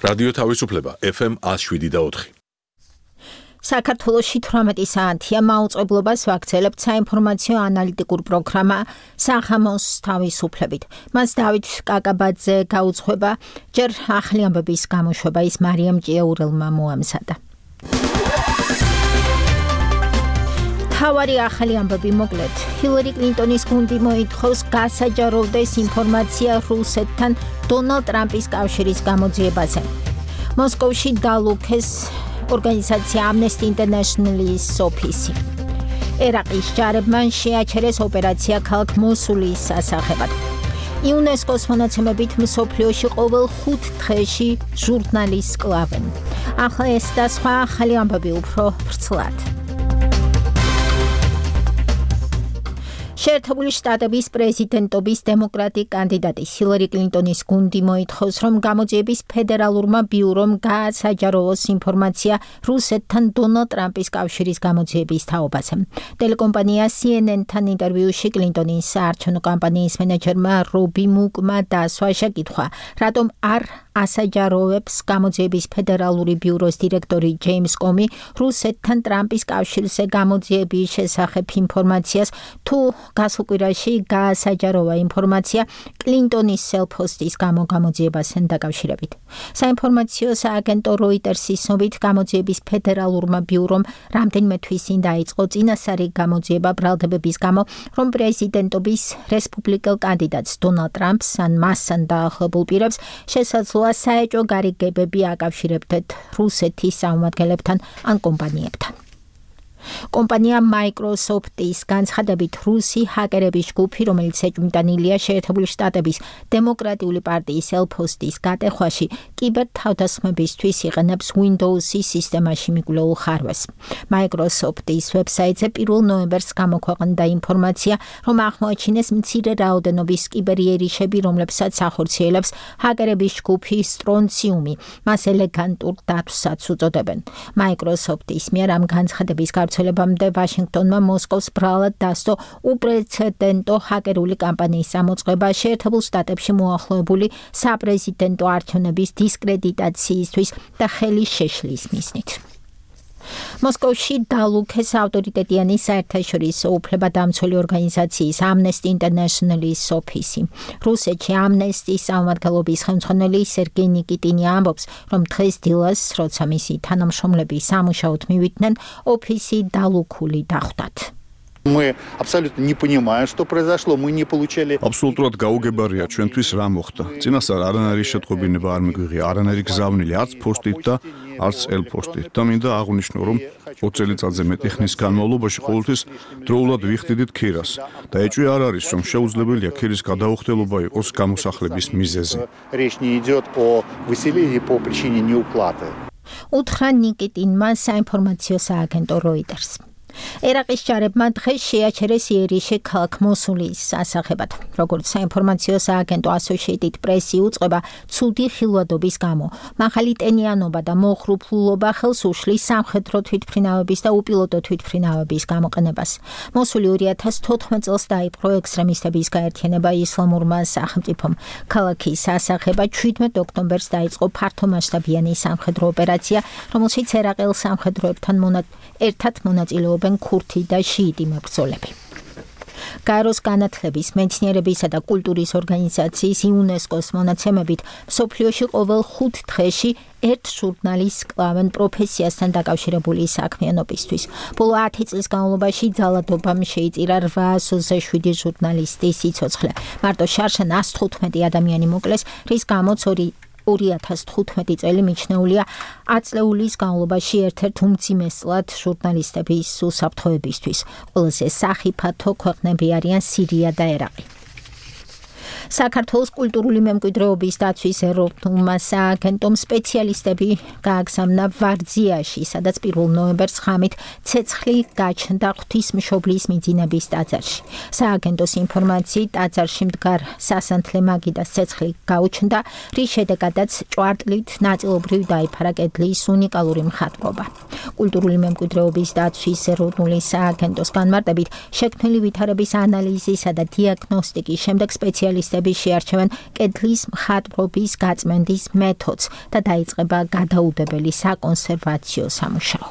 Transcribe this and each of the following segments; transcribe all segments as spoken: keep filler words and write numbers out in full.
რადიო თავისუფლება ეფ ემ one oh seven point four. საქართველოში თვრამეტი საათია მაუწყებლობას ვაგრძელებთ საინფორმაციო ანალიტიკურ პროგრამა სახამოს თავისუფლებით. მას დავით კაკაბაძე გაუძღვება, ჯერ ახალი ამბების გამოშვება ის მარიამ ჭიაურელმა მოამზადა. თავარი ახალი ამბები მოკლედ. ჰილარი კლინტონის გუნდი მოითხოვს გასაჯაროვდეს ინფორმაცია რუსეთთან დონალდ ტრამპის კავშირის გამოძიებაზე. მოსკოვში დალუქეს ორგანიზაცია Amnesty International-ის ოფისი. ერაყის ჯარებმა შეაჩერეს ოპერაცია ქალაქ მოსულის სასახებად. იუნესკოს მონაცემებით მსოფლიოში ყოველ ხუთ დღეში ჟურნალისტს კლავენ. ახლა ეს და სხვა ახალი ამბები უფრო ვრცლად. შეერთებული შტატების პრეზიდენტობის დემოკრატი კანდიდატი ჰილარი კლინტონის გუნდი მოითხოვს, რომ გამოძიების ფედერალურმა ბიურომ გაასაჯაროვოს ინფორმაცია რუსეთთან დონალდ ტრამპის კავშირის გამოძიების თაობაზე. ტელეკომპანია C N N-თან ინტერვიუში კლინტონის საარჩევნო კამპანიის მენეჯერმა რობი მუკმა დაასვა შეკითხვა, რატომ არ ასაჯაროვებს გამოძიების ფედერალური ბიუროს დირექტორი ჯეიმს კომი რუსეთთან ტრამპის კავშირზე გამოძიების შესახებ ინფორმაციას, თუ გასულ კვირაში გაასაჯაროვა ინფორმაცია კლინტონის სელფოსტის გამო გამოძიებასთან დაკავშირებით. საინფორმაციო სააგენტო როიტერსის ცნობით გამოძიების ფედერალურმა ბიურომ რამდენიმე თვის წინ დაიწყო წინასწარი გამოძიება ბრალდებების გამო, რომ პრეზიდენტობის რესპუბლიკელ კანდიდატს დონალდ ტრამპს ან მასთან დაახლოებულ პირებს შესაძლოა საეჭვო გარიგებები აკავშირებდეთ რუსეთის წარმომადგენლებთან ან კომპანიებთან. კომპანია Microsoft-ის განცხადებით რუსი ჰაკერების ჯგუფი, რომელიც ეჭვმიტანილია შეერთებული შტატების დემოკრატიული პარტიის ელფოსტის გატეხვაში, კიბერთავდასხმებისთვის იყენებს Windows-ის სისტემაში მიკვლეულ ხარვეს. Microsoft-ის ვებსაიტზე პირველ ნოემბერს გამოქვეყნდა ინფორმაცია, რომ აღმოაჩინეს მცირე რაოდენობის კიბერიერიშები, რომლებსაც ახორციელებს ჰაკერების ჯგუფი სტრონციუმი. მას ელეგანტურ დათვსაც უწოდებენ. Microsoft-ის მიერ ამ განცხადების გავრცელებამდე ვაშინგტონმა მოსკოვს ბრალად დასდო უპრეცედენტო ჰაკერული კამპანიის წამოწყება შეერთებულ შტატებში მოახლოებული საპრეზიდენტო არჩევნების დისკრედიტაციისთვის და ხელის შეშლის მიზნით. მოსკოვში დალუქეს ავტორიტეტიანი საერთაშორისო უფლებადამცველი ორგანიზაციის Amnesty International-ის ოფისი. რუსეთში Amnesty-ის სამმართველობის ხელმძღვანელი სერგეი ნიკიტინი ამბობს, რომ დღეს დილას, როცა მისი თანამშრომლები სამუშაოდ მივიდნენ, ოფისი დალუქული დახვდათ. Мы абсолютно не понимаем, что произошло, мы не получали. Абсолютურად გაუგებარია ჩვენთვის რა მოხდა. წინასწარ არანაირი შეტყობინება არ მიგვიღია, არანაირი გზავნილი არც ფოსტით და არც ელფოსტით. და მინდა აღვნიშნო, რომ ოც წელიწადზე მეტი ხნის განმავლობაში ყოველთვის დროულად ვიხდიდით ქირას და ეჭვი არ არის, რომ შეუძლებელია ქირის გადაუხდელობა იყოს გამოსახლების მიზეზი. Речь не идет о выселении по причине неуплаты. უთხრა ნიკიტინმა საინფორმაციო სააგენტო როიტერს. ერაყის ჯარებმა დღეს შეაჩერეს იერიშე ქალაქ მოსულის სასახებად. როგორც საინფორმაციო სააგენტო Associated Press-ი უწყება, ცუდი ხილვადობის გამო მაღალი ტენიანობა და მოხრუფლულობა ხელს უშლის სამხედრო თვითმფრინავების და უპილოტო თვითმფრინავების გამოყენებას. მოსული ორი ათას თოთხმეტ წელს დაიპყრო ექსტრემისტების გაერთიანება ისლამურმა სახელმწიფომ. ქალაქის სასახება ჩვიდმეტ ოქტომბერს დაიწყო ფართომასშტაბიანი სამხედრო ოპერაცია, რომელშიც ერაყელ სამხედროებთან ერთად მონაწილეობენ ქურთი და შიიტი მებრძოლები. გაეროს განათლების, მეცნიერებისა და კულტურის ორგანიზაციის იუნესკოს მონაცემებით მსოფლიოში ყოველ ხუთ დღეში ერთ ჟურნალისტს კლავენ პროფესიასთან დაკავშირებული საქმიანობისთვის. ბოლო ათი წლის განმავლობაში ძალადობამ შეიწირა რვაას ოცდაშვიდი ჟურნალისტის სიცოცხლე. მარტო შარშან ას თხუთმეტი ადამიანი მოკლეს, რის გამოც ორი ათას თხუთმეტი წელი მიჩნეულია ათწლეულის განმავლობაში ერთ-ერთ უმძიმესად ჟურნალისტების უსაფრთხოებისთვის. ყველაზე სახიფათო ქვეყნები არიან სირია და ერაყი. საქართველოს კულტურული მემკვიდრეობის დაცვის ეროვნულმა სააგენტომ სპეციალისტები გააგზავნა ვარძიაში, სადაც პირველ ნოემბერს ღამით ცეცხლი გაჩნდა ღვთისმშობლის მიძინების ტაძარში. სააგენტოს ინფორმაციით ტაძარში მდგარ სასანთლე მაგიდას ცეცხლი გაუჩნდა, რის შედეგადაც ჭვარტლით ნაწილობრივ დაიფარა კედლის უნიკალური მხატვრობა. კულტურული მემკვიდრეობის დაცვის ეროვნული სააგენტოს განმარტებით, შექმნილი ვითარების ანალიზისა და დიაგნოსტიკის შემდეგ სპეციალისტები სპეციალისტები შეარჩევენ კედლის მხატვრობის გაწმენდის მეთოდს და დაიწყება გადაუდებელი საკონსერვაციო სამუშაო.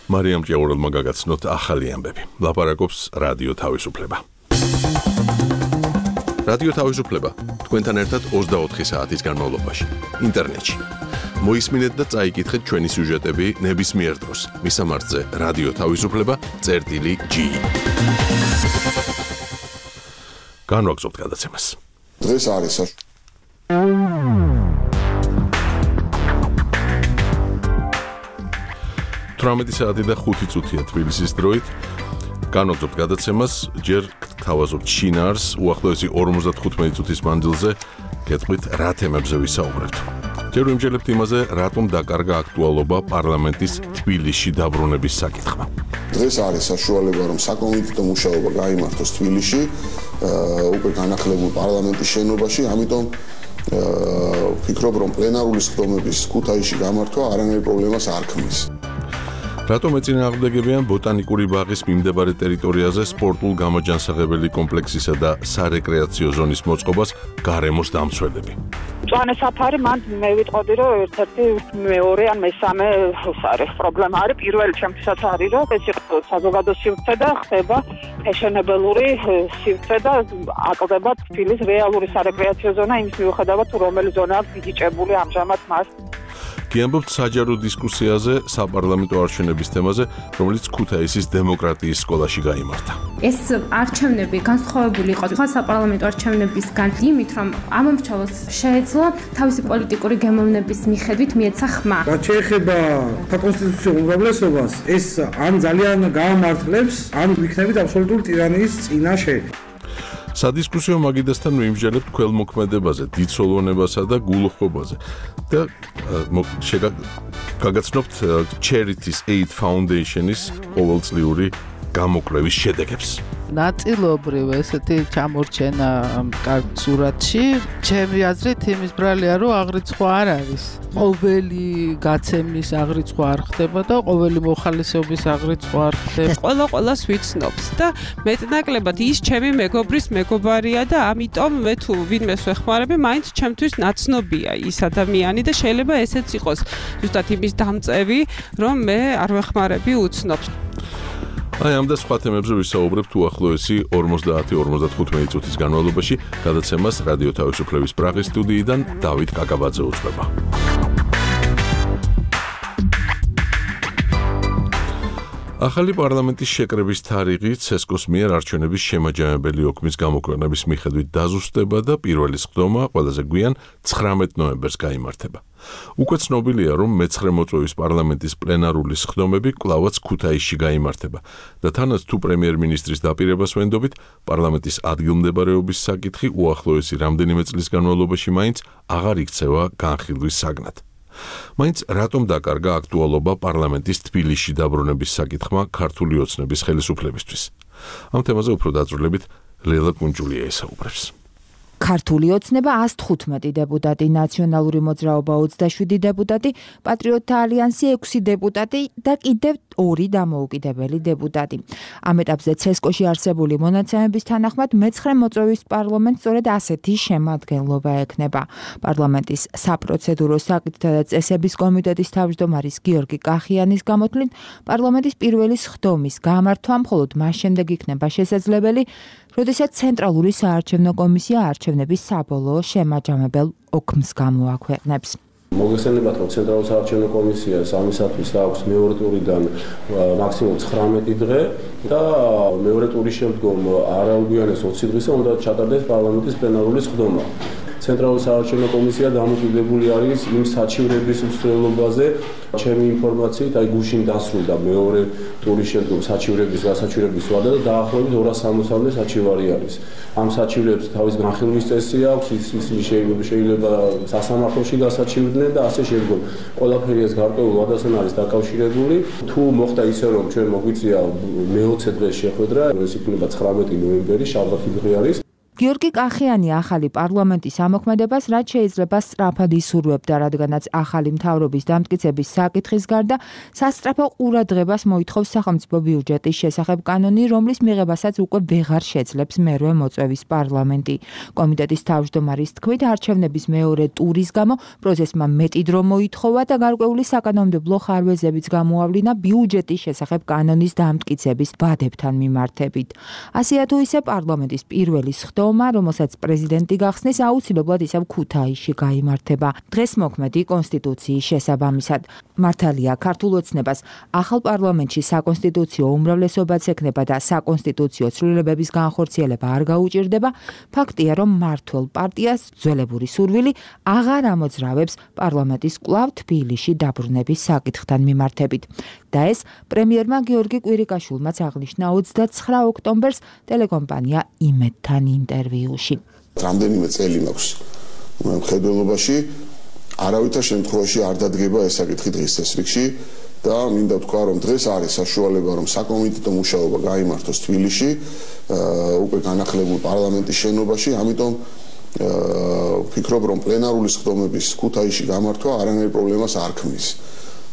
მარიამ ჭიაურელმა გაგაცნოთ ახალი ამბები. ლაპარაკობს რადიო თავისუფლება. რადიო თავისუფლება თქვენთან ერთად ოცდაოთხი საათის განმავლობაში ინტერნეტში. მოისმინეთ და წაიკითხეთ ჩვენი სიუჟეტები ნებისმიერ დროს. მისამართზე რადიო თავისუფლება წერტილი ჯი. განვაგრძობთ გადაცემას. დღეს არის თვრამეტი საათი და ხუთი წუთია თბილისის დროით. განვაგრძობთ გადაცემას, ჯერ გთავაზობთ შინაარს, უახლოესი ორმოცდათხუთმეტი წუთის მანძილზე გეტყვით რა თემებზე ვისაუბრებთ. ჯერ ვიმჯერებთ იმაზე, რატომ დაკარგა აქტუალობა პარლამენტის თბილისში დაბრუნების საკითხმა. დღეს არის საშუალება, რომ საკომიტეტო მუშაობა გაიმართოს თბილისში, უკვე განახლებულ პარლამენტის შენობაში, ამიტომ ვფიქრობ, რომ პლენარული სხდომების ქუთაისში გამართვა არანაირ პრობლემას არ ქმნის. რატომ ეწინააღმდეგებიან ბოტანიკური ბაღის მიმდებარე ტერიტორიაზე სპორტულ გამოჯანსაღებელი კომპლექსისა და სარეკრეაციო ზონის მოწყობას გარემოს დამცველები? მწვანე საფარი მან მე ვიტყოდი, რომ ერთ-ერთი მეორე ან მესამე ეს არის პრობლემა არის. პირველი ჩემთვისაც არის, რომ ეს იყო საზოგადო სივრცე და ხდება ფეშენებელური სივრცე და აკლდება თბილისის რეალური სარეკრეაციო ზონა იმის მიუხედავად, რომელი ზონაა გიჭებული ამჟამად მას. გიამბობთ საჯარო დისკუსიაზე საპარლამენტო არჩევნების თემაზე, რომელიც ქუთაისის დემოკრატიის სკოლაში გაიმართა. ეს არჩევნები განსხვავებული იყო სხვა საპარლამენტო არჩევნებისგან იმით, რომ ამომრჩევლს შეეძლო თავისი პოლიტიკური გემოვნების მიხედვით მიეცა ხმა. რაც შეეხება საკონსტიტუციო უმრავლესობას, ეს ან ძალიან გაამართლებს, ან ვიქნებით აბსოლუტური ტირანიის წინაშე. სადისკუსიო მაგიდასთან ვიმსჯელებთ ქველმოქმედებაზე, დიდსოლონებასა და გულუხობაზე და გაგაცნობთ Charities Aid Foundation-ის ყოველწლიური გამოკვლევის შედეგებს. ნაწილობრივ ესეთი ჩამორჩენა კარგ სურათში, ჩემი აზრით იმის ბრალია, რომ აღრიცხვა არ არის. ყოველი გაცემის აღრიცხვა არ ხდება და ყოველი მოხალისეობის აღრიცხვა არ ხდება. ყველა ყველას ვიცნობს და მეტნაკლებად ის ჩემი მეგობრის მეგობარია და ამიტომ მე თუ ვინმეს ვეხმარები, მაინც ჩემთვის ნაცნობია ის ადამიანი და შეიძლება ესეც იყოს ზუსტად იმის დამწევი, რომ მე არ ვეხმარები უცნობს. აი ამ და სხვა თემებზე ვისაუბრებთ უახლოესი ორმოცდაათი ორმოცდათხუთმეტი წუთის განმავლობაში. გადაცემას რადიო თავისუფლების პრაღის სტუდიიდან დავით კაკაბაძე უძღვება. ახალი პარლამენტის შეკრების თარიღი ცესკოს მიერ არჩევნების შემაჯამებელი ოქმის გამოკვლევის მიხედვით დაზუსტება და პირველი სხდომა ყველაზე გვიან ცხრამეტ ნოემბერს გაიმართება. უკვე ცნობილია, რომ მეცხრე მოწვევის პარლამენტის პლენარული სხდომები კვლავაც ქუთაისში გაიმართება და თანაც თუ პრემიერ-მინისტრის დაპირებას ვენდობით, პარლამენტის ადგილმდებარეობის საკითხი უახლოესი რამდენიმე წლის განმავლობაში მაინც აღარ იქცევა განხილვის საგნად. მაინც რატომ დაკარგა აქტუალობა პარლამენტის თბილისში დაბრუნების საკითხმა ქართული ოცნების ხელისუფლებისთვის? ამ თემაზე უფრო დაწვრილებით ლელა კუნჯულია ესაუბრებს. ქართული ოცნება ას თხუთმეტი დეპუტატი, ნაციონალური მოძრაობა ოცდაშვიდი დეპუტატი, პატრიოტთა ალიანსი ექვსი დეპუტატი და კიდევ ორი დამოუკიდებელი დეპუტატი. ამ ეტაპზე ცესკოში არსებული მონაცემების თანახმად მეცხრე მოწვევის პარლამენტს სწორედ ასეთი შემადგენლობა ექნება. პარლამენტის საპროცედურო საკითხთა და წესების კომიტეტის თავმჯდომარის გიორგი კახიანის გამოთვლით, პარლამენტის პირველი სხდომის გამართვა მხოლოდ მას შემდეგ იქნება შესაძლებელი, როდესაც ცენტრალური საარჩევნო კომისია არჩევნების საბოლოო შემაჯამებელ ოქმს გამოაქვეყნებს. მოგესალმებით, რომ ცენტრალური საარჩევნო კომისიას ამისათვის აქვს მეორე ტურიდან მაქსიმუმ ცხრამეტი დღე და მეორე ტურის შემდგომ არაუგვიანეს ოცი დღისა უნდა ჩატარდეს პარლამენტის პლენარული სხდომა. ცენტრალური საარჩევნო კომისია დამოკიდებული არის იმ საჩივრების მსვლელობაზე. ჩემი ინფორმაციით, აი გუშინ დასრულდა მეორე ტურის შემდგომ საჩივრების გასაჩივრების ვადა და დაახლოებით ორას სამოცამდე საჩივარი არის. ამ საჩივრებს თავის განხილვის წესი აქვს, ის შეიძლება სასამართლოში გასაჩივრდნენ და ასე შემდგომ. ყველაფერი ეს გარკვეულ ვადასთან არის დაკავშირებული. თუ მოხდა ისე, რომ ჩვენ მოგვიწია მეოცე დღეს შეხვედრა, ეს იქნება ცხრამეტი ნოემბერი, შაბათი დღე არის. გიორგი კახიანი ახალი პარლამენტის ამოქმედებას რაც შეიძლება სწრაფად ისურვებდა, რადგანაც ახალი მთავრობის დამტკიცების საკითხის გარდა სასწრაფო ყურადღებას მოითხოვს სახელმწიფო ბიუჯეტის შესახებ კანონი, რომლის მიღებასაც უკვე ვეღარ შეძლებს მერვე მოწვევის პარლამენტი. კომიტეტის თავმჯდომარის თქმით, არჩევნების მეორე ტურის გამო პროცესმა მეტი დრო მოითხოვა და გარკვეული საკანონმდებლო ხარვეზებიც გამოავლინა ბიუჯეტის შესახებ კანონის დამტკიცების ვადებთან მიმართებით. ასეა თუ ისე პარლამენტის პირველი სხდომა, რომელსაც პრეზიდენტი გახსნის, აუცილებლად ისევ ქუთაისში გაიმართება. დღეს მოქმედი კონსტიტუციის შესაბამისად. მართალია, ქართულ ოცნებას ახალ პარლამენტში საკონსტიტუციო უმრავლესობაც ექნება და საკონსტიტუციო ცვლილებების განხორციელება არ გაუჭირდება, ფაქტია, რომ მმართველ პარტიას ძველებური სურვილი აღარ ამოძრავებს პარლამენტის კვლავ თბილისში დაბრუნების საკითხთან მიმართებით. და ეს პრემიერმა გიორგი კვირიკაშვილმაც აღნიშნა ოცდაცხრა ოქტომბერს ტელეკომპანია იმედთან ინტერვიუში. რამდენიმე წელი მაქვს მხედველობაში, არავითარ შემთხვევაში არ დადგება ეს საკითხი დღის წესრიგში და მინდა ვთქვა, რომ დღეს არის საშუალება, რომ საკომიტეტო მუშაობა გაიმართოს თბილისში, უკვე განახლებულ პარლამენტის შენობაში, ამიტომ ვფიქრობ, რომ პლენარული სხდომების ქუთაისში გამართვა არანაირ პრობლემას არ ქმნის.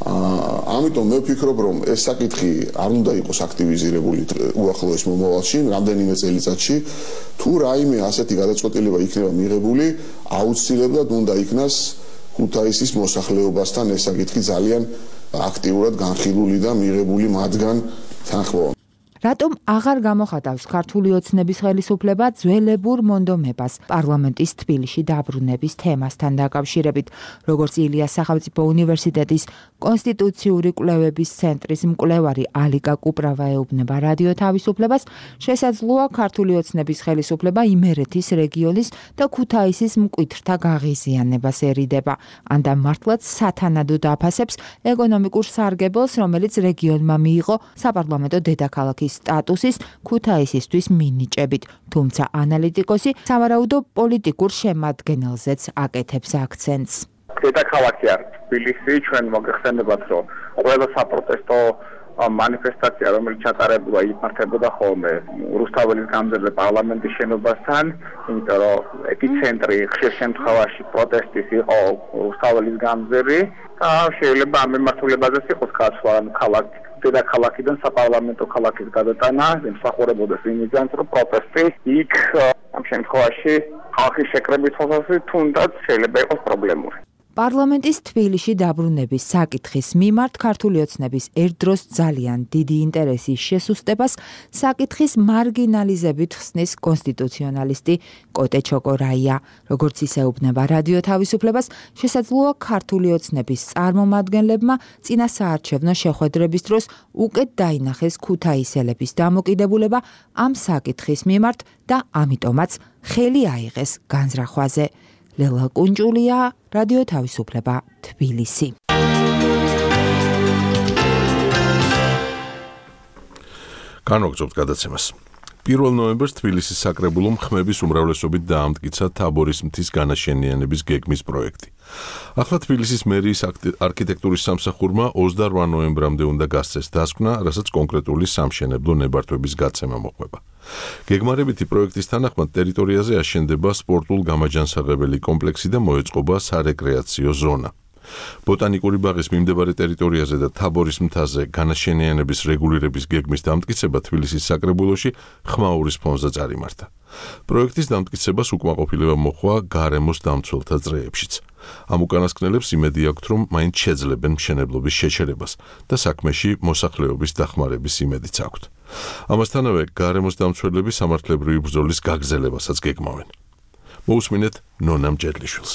ამიტომ მე ვფიქრობ, რომ ეს საკითხი არ უნდა იყოს აქტივიზირებული უახლოეს მომავალში, რამდენიმე წელიწადში, თუ რაიმე ასეთი გადაწყვეტილება იქნება მიღებული, აუცილებლად უნდა იქნას ქუთაისის მოსახლეობასთან ეს საკითხი ძალიან აქტიურად განხილული და მიღებული მათგან თანხმობა. რატომ აღარ გამოხატავს ქართული ოცნების ხელისუფლება ძველებურ მონდომებას პარლამენტის თბილისში დაბრუნების თემასთან დაკავშირებით? როგორც ილიას სახელმწიფო უნივერსიტეტის კონსტიტუციური კვლევების ცენტრის მკვლევარი ალიკა კუპრავა ეუბნება რადიო თავისუფლებას, შესაძლოა ქართული ოცნების ხელისუფლება იმერეთის რეგიონის და ქუთაისის მკვეთრთა გაღიზიანებას ერიდება, ან და მართლაც სათანადოდ აფასებს ეკონომიკურ სარგებელს, რომელიც რეგიონმა მიიღო საპარლამენტო დედაქალაქის სტატუსის ქუთაისისთვის მინიჭებით, თუმცა ანალიტიკოსი სავარაუდო პოლიტიკურ შემადგენელზეც აკეთებს აქცენტს. დედაქალაქი არის თბილისი, ჩვენ მოგეხსენებათ, რომ ყველა საპროტესტო მანიფესტაცია, რომელიც ჩატარებულა, იმართებოდა ხოლმე რუსთაველის გამზერზე პარლამენტის შენობასთან, იმიტომ რომ ეპიცენტრი ხშირ შემთხვევაში პროტესტის იყო რუსთაველის გამზერი და შეიძლება ამ მიმართულებაზეც იყოს გაცვლა ქალაქ დედაქალაქიდან საპარლამენტო ქალაქის გადატანა, ემსახურებოდეს იმისგან, რომ პროტესტი იქ ამ შემთხვევაში ხალხის შეკრების ხალხი თუნდაც შეიძლება იყოს პრობლემური. პარლამენტის თბილისში დაბრუნების საკითხის მიმართ ქართული ოცნების ერთდროს ძალიან დიდი ინტერესის შესუსტებას საკითხის მარგინალიზებით ხსნის კონსტიტუციონალისტი კოტე ჩოკორაია. როგორც ისეუბნება რადიო თავისუფლებას, შესაძლოა ქართული ოცნების წარმომადგენლებმა წინა საარჩევნო შეხვედრების დროს უკეთ დაინახეს ქუთაისელების დამოკიდებულება ამ საკითხის მიმართ და ამიტომაც ხელი აიღეს განზრახვაზე. ლელა კუნჭულია, რადიო თავისუფლება, თბილისი. განვაგრძობთ გადაცემას. პირველ ნოემბერს თბილისის საკრებულომ ხმების უმრავლესობით დაამტკიცა თაბორის მთის განაშენიანების გეგმის პროექტი. ახლა თბილისის მერიის არქიტექტურის სამსახურმა ოცდაოთხ ნოემბრამდე უნდა გასცეს დასკვნა, რასაც კონკრეტული სამშენებლო ნებართვების გაცემა მოყვება. გეგმარებითი პროექტის თანახმად ტერიტორიაზე აშენდება სპორტულ-გამაჯანსაღებელი კომპლექსი და მოეწყობა სარეკრეაციო ზონა. ბოტანიკური ბაღის მიმდებარე ტერიტორიაზე და თაბორის მთაზე განაშენიანების რეგულირების გეგმის დამტკიცება თბილისის საკრებულოში ხმაურის ფონზე წარიმართა. პროექტის დამტკიცებას უკმაყოფილება მოჰყვა გარემოს დამცველთა წრეებშიც. ამ უკანასკნელებს იმედი აქვთ, რომ მაინც შეძლებენ მშენებლობის შეჩერებას და საქმეში მოსახლეობის დახმარების იმედიც აქვთ. ამასთანავე გარემოს დამცველები სამართლებრივი ბრძოლის გაგრძელებასაც გეგმავენ. მოусმინეთ ნონა მჭედლიშვილს.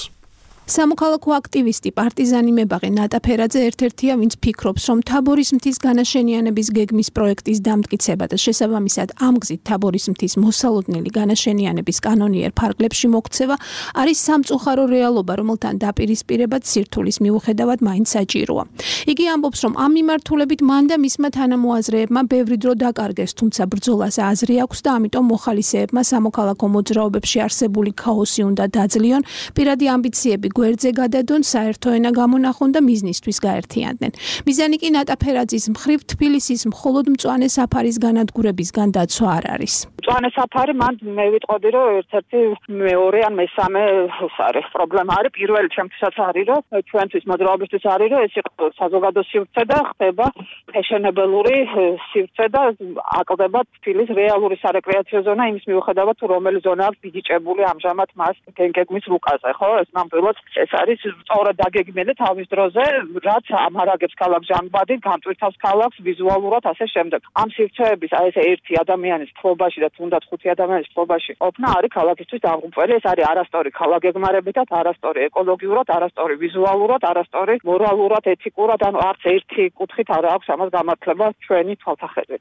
სამოქალაქო აქტივისტი პარტიზანი მებაღე ნატა ფერაძე ერთ-ერთია, ვინც ფიქრობს, რომ თაბორის მთის განაშენიანების გეგმის პროექტის დამტკიცება და შესაბამისად ამ გზით თაბორის მთის მოსალოდნელი განაშენიანების კანონიერ ფარგლებში მოქცევა არის სამწუხარო რეალობა, რომელთან დაპირისპირებად სირთულის მიუხედავად მაინც საჭიროა. იგი ამბობს, რომ ამ მიმართულებით მან და მისმა თანამოაზრეებმა ბევრი დრო დაკარგეს, თუმცა ბრძოლას აზრი აქვს და ამიტომ მოხალისეებმა სამოქალაქო მოძრაობებში არსებული ქაოსი უნდა დაძლიონ, პირადი ამბიციები გვერდზე გადადონ, საერთო ენა გამონახონ და მიზნისთვის გაერთიანდნენ. მიზანი კი ნატა ფერაძის მხრივ თბილისის მხოლოდ მწვანე საფარის განადგურებისგან დაცვა არ არის. მწვანე საფარი მან მე ვიტყოდი რომ ერთ-ერთი მეორე ან მესამე ეს არის პრობლემა არის პირველი ჩემთვისაც არის რომ ჩვენთვის მოძრაობისთვის არის რომ ეს იყო საზოგადო სივრცე და ხდება ფეშენებელური სივრცე და აკლდება თბილისის რეალური სარეკრეაციო ზონა იმის მიუხედავად თუ რომელი ზონა აქვს ბიჯიჭებული ამჟამად მას გენგეგმის რუკაზე ხო ეს ნამდვილად ეს არის სწორად დაგეგმილი თავის დროზე რაც ამარაგებს ქალაქს ჟანგბადი განტვირთავს ქალაქს ვიზუალურად ასე შემდეგ ამ სივრცეების აი ეს ერთი ადამიანის ფლობაში და თუნდაც ხუთი ადამიანის ფლობაში ყოფნა არის ქალაქისთვის დამღუპველი ეს არის არასწორი ქალაქგეგმარებითაც არასწორი ეკოლოგიურად არასწორი ვიზუალურად არასწორი მორალურად ეთიკურად ანუ არც ერთი კუთხით არ აქვს ამას გამართლება ჩვენი თვალსაჩინო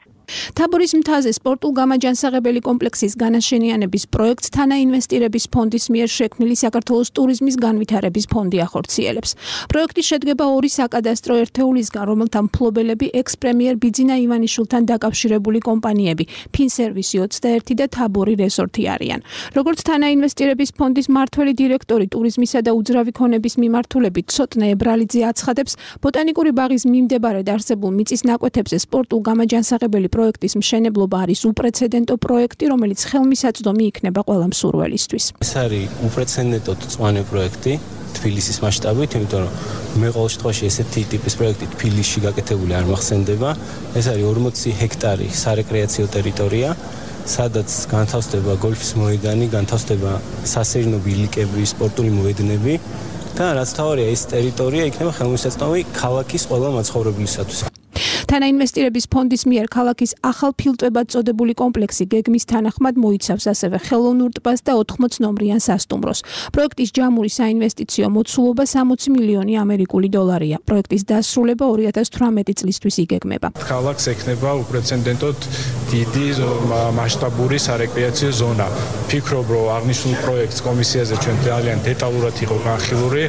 თაბორის მთაზე სპორტულ გამაჯანსაღებელი კომპლექსის განაშენიანების პროექტს თანაინვესტირების ფონდის მიერ შექმნილი საქართველოს ტურიზმის განვითარების ფონდი ახორციელებს. პროექტი შედგება ორი საკადასტრო ერთეულისგან, რომელთა მფლობელები ექს-პრემიერ ბიძინა ივანიშვილთან დაკავშირებული კომპანიები, ფინსერვისი ოცდაერთი და თაბორი რეზორტი არიან. როგორც თანაინვესტირების ფონდის მმართველი დირექტორი ტურიზმისა და უძრავი ქონების მიმართულებით ცოტნე ებრალიძე აცხადებს, ბოტანიკური ბაღის მიმდებარედ არსებულ მიწის ნაკვეთებზე სპორტულ გამაჯანსაღებელი პროექტის მშენებლობა არის უპრეცედენტო პროექტი, რომელიც ხელმისაწვდომი იქნება ყველა მსურველისთვის. ეს არის უპრეცედენტო მწვანე პროექტი თბილისის მასშტაბით, იმიტომ რომ მე ყოველ შემთხვევაში ესეთი ტიპის პროექტი თბილისში გაკეთებული არ მახსენდება. ეს არის ორმოცი ჰექტარი სარეკრეაციო ტერიტორია, სადაც განთავსდება გოლფის მოედანი, განთავსდება სასეირნო ბილიკები, სპორტული მოედნები და რაც თავარია ეს ტერიტორია იქნება ხელმისაწვდომი ქალაქის ყველა მაცხოვრებლისათვის. თანაინვესტირების ფონდის მიერ ქალაქის ახალ ფილტვებად წოდებული კომპლექსი გეგმის თანახმად მოიცავს ასევე ხელოვნურ ტბას და ოთხმოც ნომრიან სასტუმროს. პროექტის ჯამური საინვესტიციო მოცულობა სამოცი მილიონი ამერიკული დოლარია. პროექტის დასრულება ორი ათას თვრამეტი წლისთვის იგეგმება. ქალაქს ექნება უპრეცედენტოდ დიდი მასშტაბური სარეკრეაციო ზონა. ფიქრობ, რომ აღნიშნულ პროექტს კომისიაზე ჩვენ ძალიან დეტალურად იყო განხილული.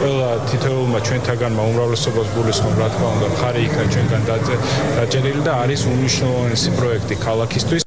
ყველა თითოეულმა ჩვენთაგანმა უმრავლესობას გულისხმობ, რა თქმა უნდა, მხარი იქნა ჩვენგან დაჭერილი და არის უმნიშვნელოვანესი პროექტი ქალაქისთვის.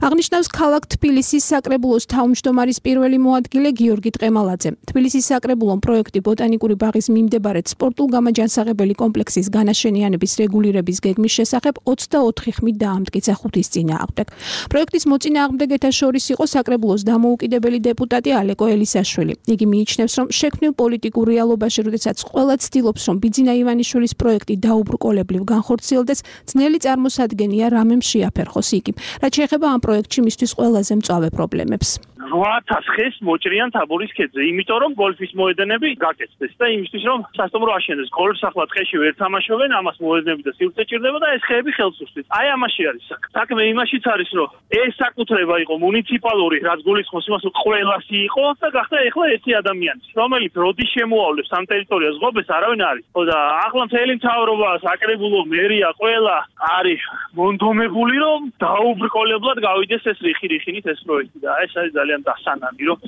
აღნიშნავს ქალაქ თბილისის საკრებულოს თავმჯდომარის პირველი მოადგილე გიორგი ტყემალაძე. თბილისის საკრებულომ პროექტი ბოტანიკური ბაღის მიმდებარედ სპორტულ გამაჯანსაღებელი კომპლექსის განაშენიანების რეგულირების გეგმის შესახებ ოცდაოთხი ხმით დაამტკიცა ხუთის წინააღმდეგ. პროექტის მოწინააღმდეგეთა შორის იყო საკრებულოს დამოუკიდებელი დეპუტატი ალეკო ელისაშვილი. იგი მიიჩნევს, რომ შექმნილ პოლიტიკურ რეალობაში, როდესაც ყველა ცდილობს, რომ ბიძინა ივანიშვილის პროექტი დაუბრკოლებლივ განხორციელდეს, ძნელი წარმოსადგენია რამემ შეაფერხოს იგი. რაც შეეხება ამ პროექტში მისთვის ყველაზე მწვავე პრობლემებს. რვა ათას ხეს მოჭრიან თაბორის ქედზე, იმიტომ რომ გოლფის მოედნები გაკეთდეს და იმისთვის რომ სასტუმრო აშენდეს. გოლფს ახლა ტყეში ვერ თამაშობენ, ამას მოედნები და სივრცე ჭირდება და ეს ხეები ხელს უსვით. აი ამაში არის საქმე, იმაშიც არის რომ ეს საკუთრება იყო მუნიციპალური, რაც გულისხმობს იმას, რომ ყველასი იყო და გახდა ეხლა ერთი ადამიანი, რომელიც როდის შემოავლებს ამ ტერიტორიას ღობეს არავინ არის. ხო და ახლა მთელი მთავრობა, საკრებულო, მერია, ყველა არის მონდომებული რომ დაუბრკოლებლად გავიდეს ეს რიხი-რიხინით ეს პროექტი და ეს არის ძალიან დასანანი რომ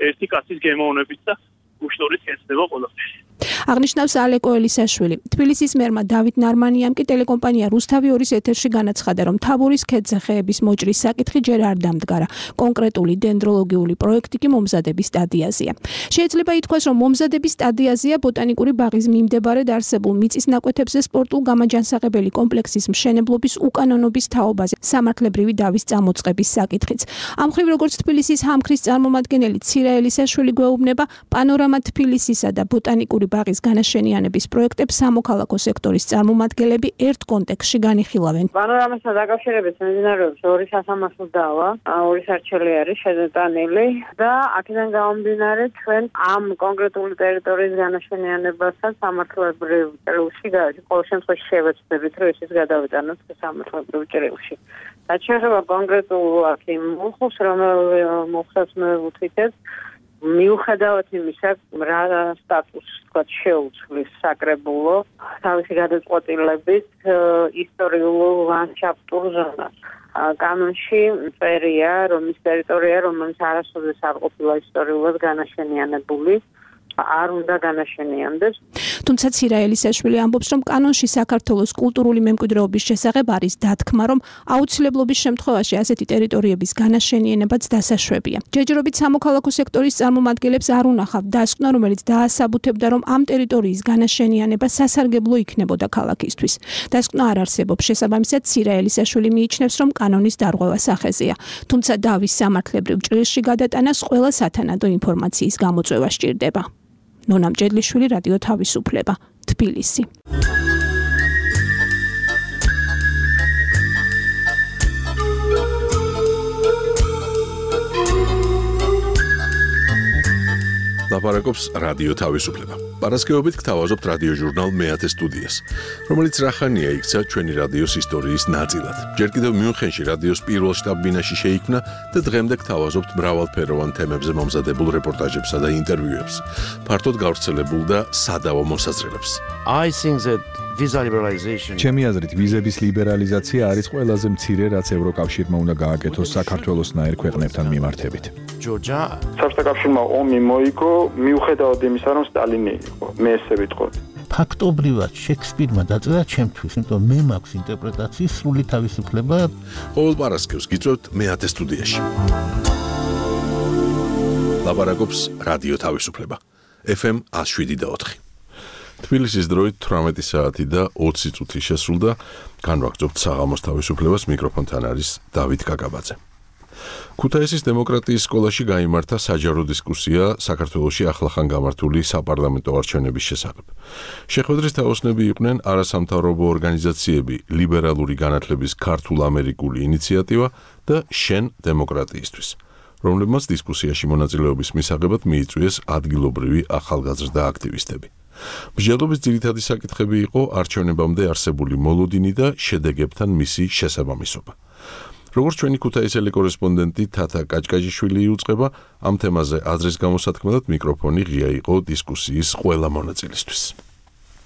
ერთი კაცის გემოვნებით და უშნორით ეცდება ყველაფერი. აღნიშნავს ალეკო ელისაშვილი. თბილისის მერმა დავით ნარმანიამ კი ტელეკომპანია რუსთავი ორის ეთერში განაცხადა, რომ თაბორის ქედზე ხეების მოჭრის საკითხი ჯერ არ დამდგარა. კონკრეტული დენდროლოგიული პროექტი კი მომზადების სტადიაზეა. შეიძლება ითქვას, რომ მომზადების სტადიაზეა ბოტანიკური ბაღის მიმდებარედ არსებულ მიწის ნაკვეთებზე სპორტულ გამაჯანსაღებელი კომპლექსის მშენებლობის უკანონობის თაობაზე სამართლებრივი დავის წამოწყების საკითხიც. ამ მხრივ, როგორც თბილისის ჰამქრის წარმომადგენელი ცირა ელისაშვილი გვეუბნება, პანორამა თბილისისა და ბოტანიკური ბაღის განაშენიანების პროექტებს სამოქალაქო სექტორის წარმომადგენლები ერთ კონტექსტში განიხილავენ. პანორამასთან დაკავშირებით მიმდინარეობს ორი სასამართლო დავა, ორი სარჩელი არის შეზეტანილი და აქედან გამომდინარე ჩვენ ამ კონკრეტული ტერიტორიის განაშენიანებასთან სამართლებრივ ჭრილში ყოველ შემთხვევაში შევეცდებით, რომ ის გადავიტანოთ სამართლებრივ ჭრილში. რაც შეეხება კონკრეტულად იმ მოხდას, რომელიც მოხდას მე ვუთითებ მიუხედავად იმისა, რა სტატუსს თქვა შეუცვლის საკრებულო თავისი გადაწყვეტილებით ისტორიულ ლანდშაფტურ ზონას. კანონში წერია, რომ ის ტერიტორია, რომელიც არასოდეს არ ყოფილა ისტორიულად განაშენიანებული, არ უნდა განაშენიანდეს. თუმცა ცირაელისაშვილი ამბობს, რომ კანონში საქართველოს კულტურული მემკვიდრეობის შესახებ არის დათქმა, რომ აუცილებლობის შემთხვევაში ასეთი ტერიტორიების განაშენიანებაც დასაშვებია. ჯერჯერობით სამოქალაქო სექტორის წარმომადგენლებს არ უნახავთ დასკვნა, რომელიც დაასაბუთებდა, რომ ამ ტერიტორიის განაშენიანება სასარგებლო იქნებოდა ქალაქისთვის. დასკვნა არ არსებობს, შესაბამისად ცირაელისაშვილი მიიჩნევს, რომ კანონის დარღვევა სახეზეა. თუმცა დავის სამართლებრივ ჭრილში გადატანას ყველა სათანადო ინფორმაციის გამოწვევა სჭირდება. ნონა მჭედლიშვილი, რადიო თავისუფლება, თბილისი. ლაპარაკობს რადიო თავისუფლება. პარასკევობით გთავაზობთ რადიო ჟურნალ მეათე სტუდიას, რომელიც რახანია იქცა ჩვენი რადიოს ისტორიის ნაწილად. ჯერ კიდევ მიუნხენში რადიოს პირველ შტაბ-ბინაში შეიქმნა და დღემდე გთავაზობთ მრავალფეროვან თემებზე მომზადებულ რეპორტაჟებსა და ინტერვიუებს, ფართოდ გავრცელებულ და სადავო მოსაზრებებს. I think that visa liberalization ჩემი აზრით ვიზების ლიბერალიზაცია არის ყველაზე მცირე, რაც ევროკავშირმა უნდა გააკეთოს საქართველოსნაირ ქვეყნებთან მიმართებით. Georgia საბჭოთა კავშირმა ომი მოიგო მიუხედავად იმისა, რომ სტალინი იყო. მე ესე ვიტყოდი. ფაქტობრივად შექსპირმა დაწერა ჩემთვის, იმიტომ მე მაქვს ინტერპრეტაციის სრული თავისუფლება. ყოველ პარასკევს გიწევთ მეათე სტუდიაში. ლაპარაკობს რადიო თავისუფლება. ეფ ემ one oh seven და four. თბილისის დროით თვრამეტი საათი და ოცი წუთი შესრულდა. განვაგრძობთ საღამოს თავისუფლებას, მიკროფონთან არის დავით კაკაბაძე. ქუთაისის დემოკრატიის სკოლაში გაიმართა საჯარო დისკუსია საქართველოში ახლახან გამართული საპარლამენტო არჩევნების შესახებ. შეხვედრის თაოსნები იყვნენ არასამთავრობო ორგანიზაციები, ლიბერალური განათლების ქართულ-ამერიკული ინიციატივა და შენ დემოკრატიისთვის, რომლებმაც დისკუსიაში მონაწილეობის მისაღებად მიიწვიეს ადგილობრივი ახალგაზრდა აქტივისტები. მსჯელობის ძირითადი საკითხები იყო არჩევნებამდე არსებული მოლოდინი და შედეგებთან მისი შესაბამისობა. როგორც ჩვენი ქუთაისელი კორესპონდენტი თათა კაჭკაჭიშვილი იუწყება, ამ თემაზე აზრის გამოსათქმელად მიკროფონი ღია იყო დისკუსიის ყველა მონაწილისთვის.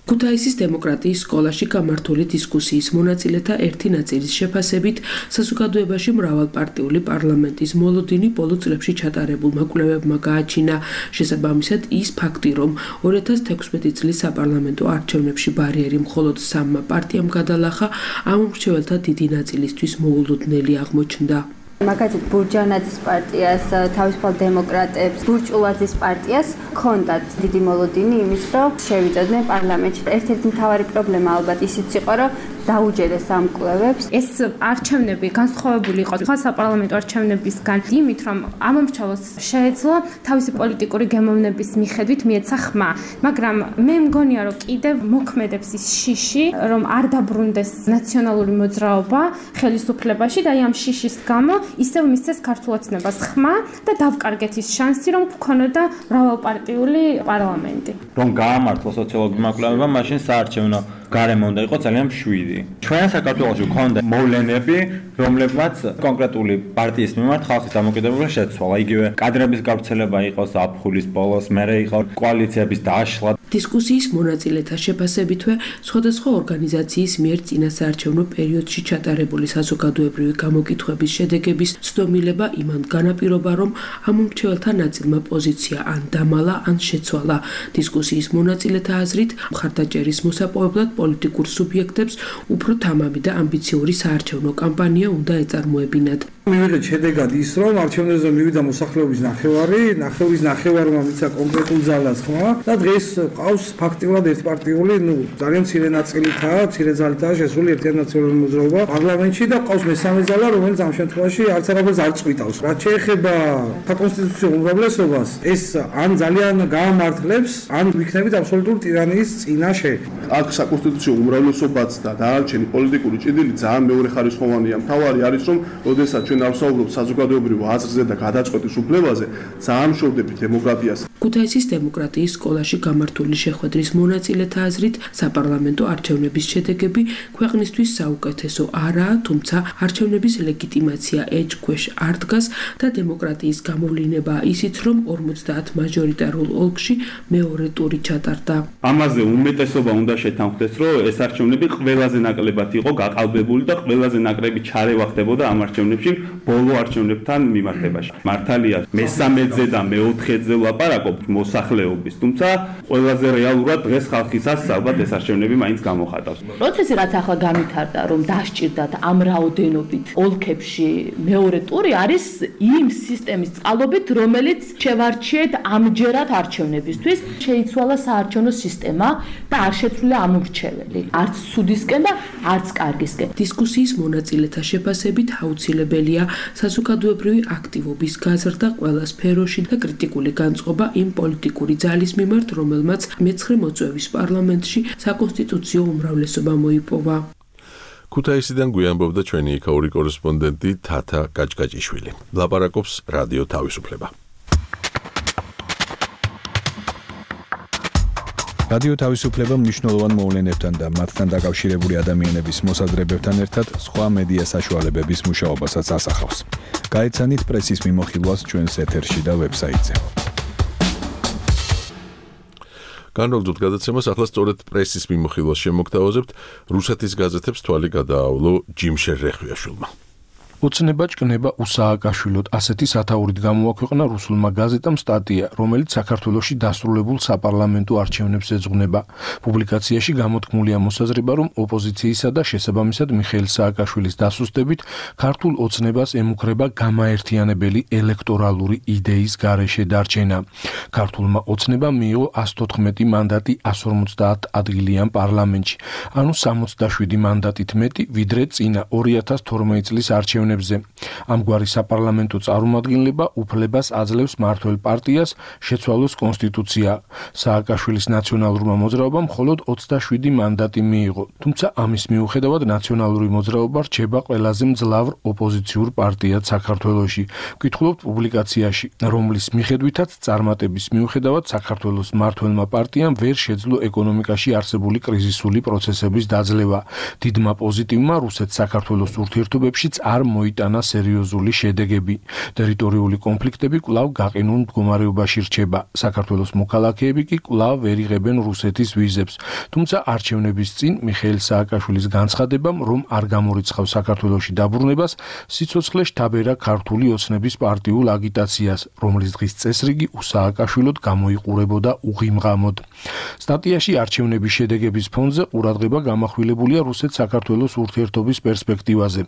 ქუთაისის დემოკრატიის სკოლაში გამართული დისკუსიის მონაწილეთა ერთი ნაწილის შეფასებით, საზოგადოებაში მრავალპარტიული პარლამენტის მოლოდინი ბოლო წლებში ჩატარებულმა კვლევებმა გააჩინა. შესაბამისად, ის ფაქტი, რომ ორი ათას თექვსმეტი წლის საპარლამენტო არჩევნებში ბარიერი მხოლოდ სამმა პარტიამ გადალახა, ამ მრჩეველთა დიდი ნაწილისთვის მოულოდნელი აღმოჩნდა. მაგალითად ბურჯანაძის პარტიას, თავისუფალ დემოკრატებს, ბურჭულაძის პარტიას ჰქონდათ დიდი მოლოდინი იმის, რომ შევიწოდნენ პარლამენტში. ერთ-ერთი მთავარი პრობლემა ალბათ ისიც იყო, რომ დაუჯერეს ამ კვლევებს. ეს არჩევნები განსხვავებული იყო სხვა საპარლამენტო არჩევნებისგან იმით, რომ ამომრჩევლს შეეძლო თავისი პოლიტიკური გემოვნების მიხედვით მიეცა ხმა, მაგრამ მე მგონია, რომ კიდევ მოქმედებს ის შიში, რომ არ დაბრუნდეს ნაციონალური მოძრაობა ხელისუფლებაში და ამ შიშის გამო ისევ მისცეს ქართულ ოცნებას ხმა და დავკარგეთ ის შანსი, რომ გქონოდა მრავალპარტიული პარლამენტი. რომ გაამართლა სოციოლოგიურმა კვლევებმა, მაშინ საარჩევნო გარემო უნდა იყოს ძალიან მშვიდი. ჩვენ საქართველოში გვქონდა მოვლენები, რომლებმაც კონკრეტული პარტიის მიმართ ხალხის დამოკიდებულება შეცვალა. იგივე კადრების გავრცელება იყო ზაფხულის ბოლოს, მერე იყო კოალიციების დაშლა. დისკუსიის მონაწილეთა შეფასებითვე, სხვადასხვა ორგანიზაციის მიერ წინასაარჩევნო პერიოდში ჩატარებული საზოგადოებრივი გამოკითხვების შედეგების ცდომილება იმან განაპირობა, რომ ამ მრჩეველთა ნაწილმა პოზიცია ან დამალა, ან შეცვალა. დისკუსიის მონაწილეთა აზრით, მხარდაჭერის მოსაპოვებლად პოლიტიკურ სუბიექტებს უფრო თამამი და ამბიციური საარჩევნო კამპანია უნდა ეწარმოებინათ. მივიღეთ შედეგად ის, რომ არჩევნებზე მივიდა მოსახლეობის ნახევარი, ნახევრის ნახევარმა მისცა კონკრეტულ ძალას ხმა და დღეს ყავს ფაქტიურად ერთპარტიული, ну, ძალიან მცირე ნაწილითაა, მცირე ძალითაა შესული ერთიანი ნაციონალური მოძრაობა პარლამენტში და ყავს მესამე ძალა, რომელიც ამ შემთხვევაში არც არაფერს არ წყვიტავს. რაც შეეხება საკონსტიტუციო უმრავლესობას, ეს ან ძალიან გაამართლებს, ან ვიქნებით აბსოლუტური ტირანიის წინაშე. აქ საკონსტიტუციო უმრავლესობაც და დანარჩენი პოლიტიკური ჭიდილი ძალიან მეორეხარისხოვანია. მთავარი არის, რომ როდესაც ჩვენ არ ვსაუბრობთ საზოგადოებრივ აზრზე და გადაწყვეტის უფლებაზე, ძალიან მშობდებით დემოკრატიას. ქუთაისის დემოკრატიის სკოლაში გამართული შეხვედრის მონაწილეთა აზრით, საპარლამენტო არჩევნების შედეგები ქვეყნისთვის საუკეთესო არაა, თუმცა არჩევნების ლეგიტიმაცია ეჭქვეშ არ დგას და დემოკრატიის გამოვლინებაა ისიც, რომ ორმოცდაათ მაჟორიტარულ ოლქში მეორე ტური ჩატარდა. ამაზე უმეტესობა უნდა შეთანხმდეს, რომ ეს არჩევნები ყველაზე ნაკლებად იყო გაყალბებული და ყველაზე ნაკლები ჩარევა ხდებოდა ამ არჩევნებში ბოლო არჩევნებთან მიმართებაში. მართალია მესამეზე და მეოთხეზე ვლაპარაკობთ მოსახლეობის, თუმცა ყველაზე რეალურად დღეს ხალხისას ალბათ ეს არჩევნები მაინც გამოხატავს. პროცესი რაც ახლა განვითარდა, რომ დასჭირდათ ამ რაოდენობით ოლქებში მეორე ტური არის იმ სისტემის წყალობით, რომელიც შევარჩიეთ ამჯერად არჩევნებისთვის, შეიცვალა საარჩევნო სისტემა და არ შეცვლილა ამორჩეველი, არც სუდისკენ და არც კარგისკენ. დისკუსიის მონაწილეთა შეფასებით აუცილებელია საზოგადოებრივი აქტივობის გაზრდა ყველა სფეროში და კრიტიკული განწყობა იმ პოლიტიკური ძალის მიმართ, რომელმაც მეცხრე მოწვევის პარლამენტში საკონსტიტუციო უმრავლესობა მოიპოვა. ქუთაისიდან გვიანბობდა ჩვენი იქაური კორესპონდენტი თათა გაჭგაჭიშვილი. ლაპარაკობს რადიო თავისუფლება. რადიო თავისუფლება მნიშვნელოვან მოვლენებთან და მათთან დაკავშირებული ადამიანების მოსაზრებებთან ერთად სხვა მედია საშუალებების მუშაობასაც ასახავს. გაეცანით პრესის მიმოხილვას ჩვენს ეთერში და ვებსაიტზე. განრიგდოთ გადაცემას, ახლა სწორედ პრესის მიმოხილვას შემოგთავაზებთ. რუსეთის გაზეთებს თვალი გადაავლო ჯიმშერ რეხვიაშვილმა. ოცნება ჭკნება უსააკაშვილოდ ასეთი სათაურით გამოაქვეყნა რუსულმა გაზეტამ სტატია, რომელიც საქართველოში დასრულებულ საპარლამენტო არჩევნებს ეძღვნება. პუბლიკაციაში გამოთქმულია მოსაზრება, რომ ოპოზიციისა და შესაბამისად მიხეილ სააკაშვილის დასუსტებით ქართულ ოცნებას ემუქრება გამაერთიანებელი ელექტორალური იდეის გარეშე დარჩენა. ქართულმა ოცნებამ მიიღო ას თოთხმეტი მანდატი ას ორმოცდაათ ადგილიან პარლამენტში, ანუ სამოცდაშვიდი მანდატით მეტი, ვიდრე წინა ორი ათას თორმეტი წლის არჩევნებში. ამგვარი საპარლამენტო წარმომადგენლება უფლებას აძლევს მმართველ პარტიას შეცვალოს კონსტიტუცია. სააკაშვილის ნაციონალურმა მოძრაობამ მხოლოდ ოცდაშვიდი მანდატი მიიღო, თუმცა ამის მიუხედავად ნაციონალური მოძრაობა რჩება ყველაზე მძლავრ ოპოზიციურ პარტიად საქართველოში. ვკითხულობთ პუბლიკაციაში, რომლის მიხედვითაც წარმატების მიუხედავად საქართველოს მმართველმა პარტიამ ვერ შეძლო ეკონომიკაში არსებული კრიზისული პროცესების დაძლევა. დიდმა პოზიტივმა რუსეთ-საქართველოს ურთიერთობებშიც არ მოიტანა სერიოზული შედეგები. ტერიტორიული კონფლიქტები კვლავ გაყინულ მდგომარეობაში რჩება. საქართველოს მოქალაქეები კი კვლავ ვერ იღებენ რუსეთის ვიზებს. თუმცა არჩევნების წინ მიხეილ სააკაშვილის განცხადებამ, რომ არ გამორიცხავს საქართველოში დაბრუნებას, სიცოცხლე შთაბერა ქართული ოცნების პარტიულ აგიტაციას, რომლის დღის წესრიგი უსააკაშვილოდ გამოიყურებოდა უღიმღამოდ. სტატიაში არჩევნების შედეგების ფონზე ყურადღება გამახვილებულია რუსეთ-საქართველოს ურთიერთობის პერსპექტივაზე.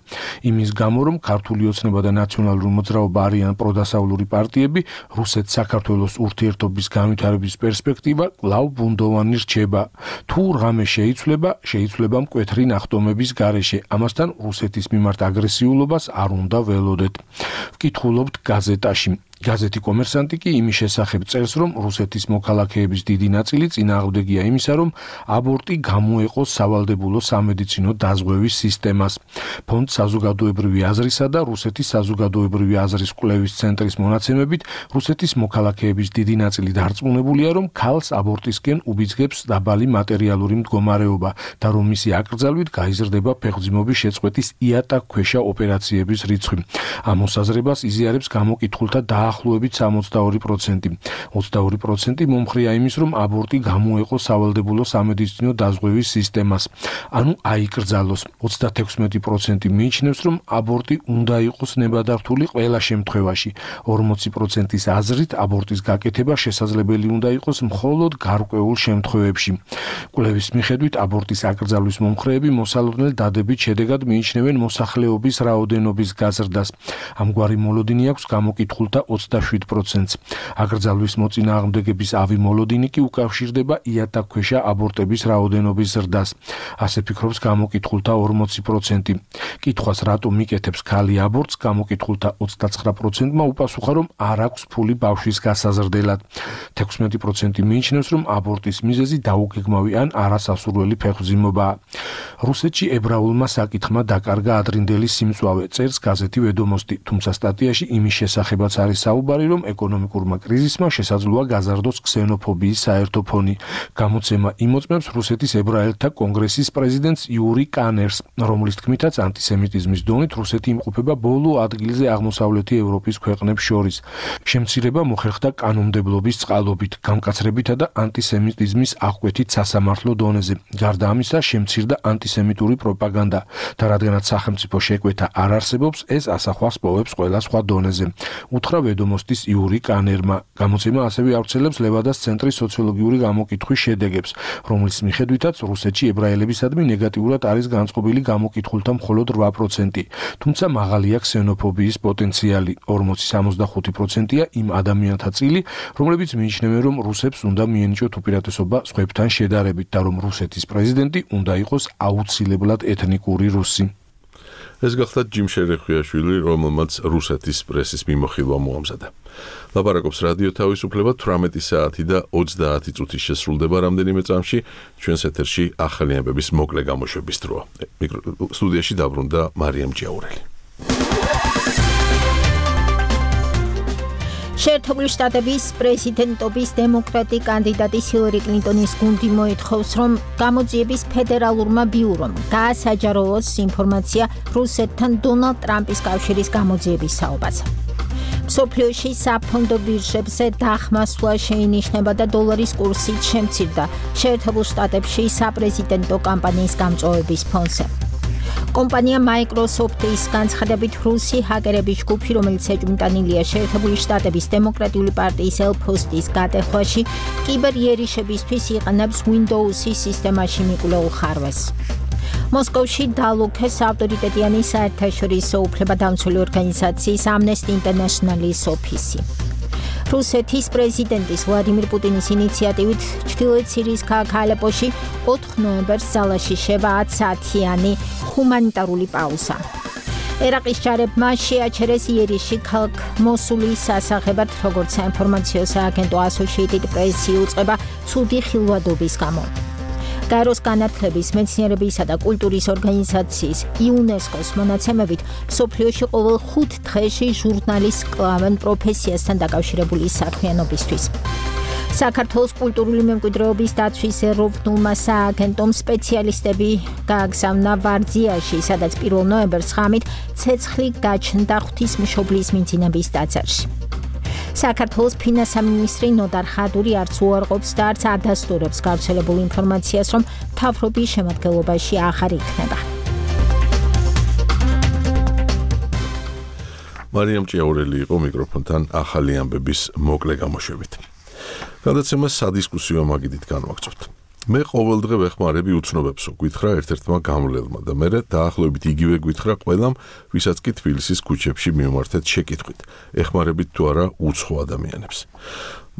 იმის გამო, რომ ქართული ოცნება და ნაციონალური მოძრაობა არიან პროდასავლური პარტიები, რუსეთ-საქართველოს ურთიერთობის განვითარების პერსპექტივა კვლავ ბუნდოვანი რჩება. თუ რამე შეიცვლება, შეიცვლება მკვეთრი ნახტომების გარეშე. ამასთან რუსეთის მიმართ აგრესიულობას არ უნდა ველოდეთ. ვკითხულობთ გაზეტაში. გაზეთი კომერსანტი კი იმის შესახებ წერს, რომ რუსეთის მოქალაქეების დიდი ნაწილი წინააღმდეგია იმისა, რომ აბორტი გამოეყოს სავალდებულო სამედიცინო დაზღვევის სისტემას. ფონდ საზოგადოებრივი აზრისა და რუსეთის საზოგადოებრივი აზრის კვლევის ცენტრის მონაცემებით, რუსეთის მოქალაქეების დიდი ნაწილი დარწმუნებულია, რომ ქალს აბორტისკენ უბიძგებს დაბალი მატერიალური მდგომარეობა და რომ მისი აკრძალვით გაიზრდება ფეხმძიმობის შეწყვეტის იატაკქვეშა ოპერაციების რიცხვი. ამ მოსაზრებას იზიარებს გამოკითხულთა და ახლოებით სამოცდაორი პროცენტი. ოცდაორი პროცენტი მომხრია იმის, რომ აბორტი გამოეყოს სავალდებულო სამედიცინო დაზღვევის სისტემას, ანუ აიკრძალოს. ოცდათექვსმეტი პროცენტი მიიჩნევს, რომ აბორტი უნდა იყოს ნებადართული ყველა შემთხვევაში. ორმოცი პროცენტის აზრით აბორტის გაკეთება შესაძლებელი უნდა იყოს მხოლოდ გარკვეულ შემთხვევებში. კვლევის მიხედვით აბორტის აკრძალვის მომხრეები მოსალოდნელ დადებით შედეგად მიიჩნევენ მოსახლეობის რაოდენობის გაზრდას. ამგვარი მოლოდინი აქვს გამოკითხულთა ოცდაშვიდ პროცენტს. აკრძალვის მოწინააღმდეგების ავი მოლოდინი კი უკავშირდება იატაკქვეშა აბორტების რაოდენობის ზრდას. ასე ფიქრობს გამოკითხულთა ორმოცი პროცენტი. კითხვას რატომ იკეთებს ქალი აბორტს, გამოკითხულთა ოცდაცხრა პროცენტმა უპასუხა, რომ არ აქვს ფული ბავშვის გასაზრდელად. თექვსმეტი პროცენტი მიიჩნევს, რომ აბორტის მიზეზი დაუგეგმავი ან არასასურველი ფეხმძიმობაა. რუსეთში ებრაულმა საკითხმა დაკარგა ადრინდელი სიმწვავე, წერს გაზეთი ვედომოსტი, თუმცა სტატიაში იმის შესახებაც არის საუბარი, რომ ეკონომიკურმა კრიზისმა შესაძლოა გაზარდოს ქსენოფობიის საერთო ფონი. გამოცემა იმოწმებს რუსეთის ებრაელთა კონგრესის პრეზიდენტს იური კანერს, რომლის თქმითაც ანტისემიტიზმის დონით რუსეთი იმყოფება ბოლო ადგილზე აღმოსავლეთი ევროპის ქვეყნებს შორის. შემცირება მოხერხდა კანონმდებლობის წყალობით, გამკაცრებითა და ანტისემიტიზმის აღკვეთით სასამართლო დონეზე. გარდა ამისა, შემცირდა ანტისემიტური პროპაგანდა და რადგანაც სახელმწიფო შეკვეთა არ არსებობს, ეს ასახვას პოვებს ყველა სხვა დონეზე. უთხრა ვედომოსტის იური კანერმა. გამოცემა ასევე ავრცელებს ლევადას ცენტრის სოციოლოგიური გამოკითხვის შედეგებს, რომლის მიხედვითაც რუსეთში ებრაელებისადმი ნეგატიურად არის განწყობილი გამოკითხულთა მხოლოდ რვა პროცენტი, თუმცა მაღალია ქსენოფობიის პოტენციალი, ორმოცი სამოცდახუთი პროცენტია იმ ადამიანთა წილი, რომლებიც მიიჩნევენ, რომ რუსებს უნდა მიენიჭოთ უპირატესობა სხვებთან შედარებით და რომ რუსეთის პრეზიდენტი უნდა იყოს აუცილებლად ეთნიკური რუსი. ეს გახლავთ ჯიმ შერეხვიაშვილი, რომელმაც რუსეთის პრესის მიმოხილვა მოამზადა. ლაპარაკობს რადიო თავისუფლება თვრამეტი საათი და ოცდაათი წუთი შესრულდება რამდენიმე წამში, ჩვენს ეთერში ახალი ამბების მოკლე გამოშვების დროა. სტუდიაში დაბრუნდა მარიამ ჯიაურელი. შეერთებული შტატების პრეზიდენტობის დემოკრატი კანდიდატი ჰილარი კლინტონის გუნდი მოითხოვს, რომ გამოძიების ფედერალურმა ბიურომ გაასაჯაროოს ინფორმაცია რუსეთთან დონალდ ტრამპის კავშირის გამოძიების საუბარზე. მსოფლიოში საფონდო ბირჟებზე დახმასვლა შეინიშნება და დოლარის კურსიც შემცირდა შეერთებულ შტატებში საპრეზიდენტო კამპანიის გამწვავების ფონზე. კომპანია Microsoft-ის განცხადებით რუსი ჰაკერების ჯგუფი, რომელიც ეჭვმიტანილია შეერთებული შტატების დემოკრატიული პარტიის ელფოსტის გატეხვაში, კიბერიერიშებისთვის იყენებს Windows-ის სისტემაში მიკვლეულ ხარვეს. მოსკოვში დალუქეს ავტორიტეტიანი საერთაშორისო უფლებადამცველი ორგანიზაციის Amnesty International-ის ოფისი. რუსეთის პრეზიდენტის ვლადიმირ პუტინის ინიციატივით ჩრდილოეთ სირიის ქალაქ ალეპოში ოთხ ნოემბერს ძალაში შევა ათი საათიანი ჰუმანიტარული პაუზა. ერაყის ჯარებმა შეაჩერეს იერიში ქალაქ მოსულის სასახებად, როგორც საინფორმაციო სააგენტო Associated Press იუწყება ცუდი ხილვადობის გამო. გაეროს განათლების, მეცნიერებისა და კულტურის ორგანიზაციის იუნესკოს მონაცემებით მსოფლიოში ყოველ ხუთ დღეში ჟურნალის კლავენ პროფესიასთან დაკავშირებული საქმიანობისთვის. საქართველოს კულტურული მემკვიდრეობის დაცვის ეროვნულმა სააგენტომ სპეციალისტები გააგზავნა ვარძიაში, სადაც პირველ ნოემბერს ღამით ცეცხლი გაჩნდა ღვთისმშობლის მიძინების ტაძარში. საქართველოს ფინანსთა მინისტრი ნოდარ ხადური არც უარყოფს და არც ადასტურებს გავრცელებულ ინფორმაციას, რომ მთავრობის შემადგენლობაში აღარ იქნება. მარიამ ჭიაურელი იყო მიკროფონთან ახალი ამბების მოკლე გამოშვებით. გადაცემას სადისკუსიო მაგიდით განვაგრძობთ. მე ყოველდღე ვეხმარები უცნობებსო, გითხრა ერთ-ერთმა გამლელმა და მერე დაახლოებით იგივე გითხრა ყველამ, ვისაც კი თბილისის ქუჩებში მიმართეთ შეკითხვით, ეხმარებით თუ არა უცხო ადამიანებს.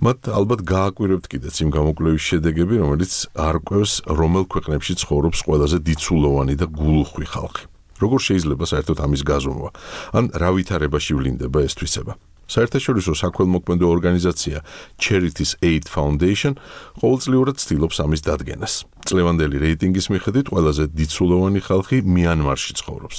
მათ ალბათ გააკვირებთ კიდეც იმ გამოკვლევის შედეგები, რომელიც არკვევს, რომელ ქვეყნებში ცხოვრობს ყველაზე დიცულოვანი და გულუხვი ხალხი. როგორ შეიძლება საერთოდ ამის გაზომვა, ან რა ვითარებაში ვლინდება ეს თვისება. საერთაშორისო საქველმოქმედო ორგანიზაცია Charities Aid Foundation ყოველწლიურად ცდილობს ამის დადგენას. წლევანდელი რეიტინგის მიხედვით ყველაზე დიცულოვანი ხალხი მიანმარში ცხოვრობს.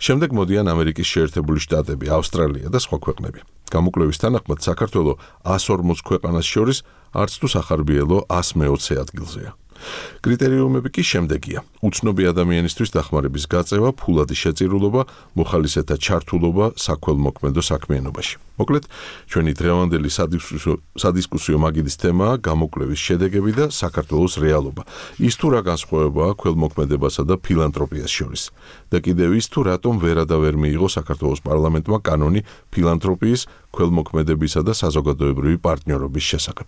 შემდეგ მოდიან ამერიკის შეერთებული შტატები, ავსტრალია და სხვა ქვეყნები. გამოკვლევის თანახმად საქართველო εκατს ორმოც ქვეყანას შორის არც თუ სახარბიელო εκατს მეოცე ადგილზეა. კრიტერიუმები კი შემდეგია: უცნობი ადამიანისთვის დახმარების გაწევა, ფულადი შეწირულობა, მოხალისეთა ჩართულობა საქველმოქმედო საქმიანობაში. მოკლედ, ჩვენი დღევანდელი სადისკუსიო მაგიდის თემაა გამოკვლევის შედეგები და საქართველოს რეალობა. ის თუ რა განსხვავებაა ქველმოქმედებასა და ფილანთროპიას შორის. და კიდევ ის თუ რატომ ვერა და ვერ მიიღო საქართველოს პარლამენტმა კანონი ფილანთროპიის, ქველმოქმედებისა და საზოგადოებრივი პარტნიორობის შესახებ.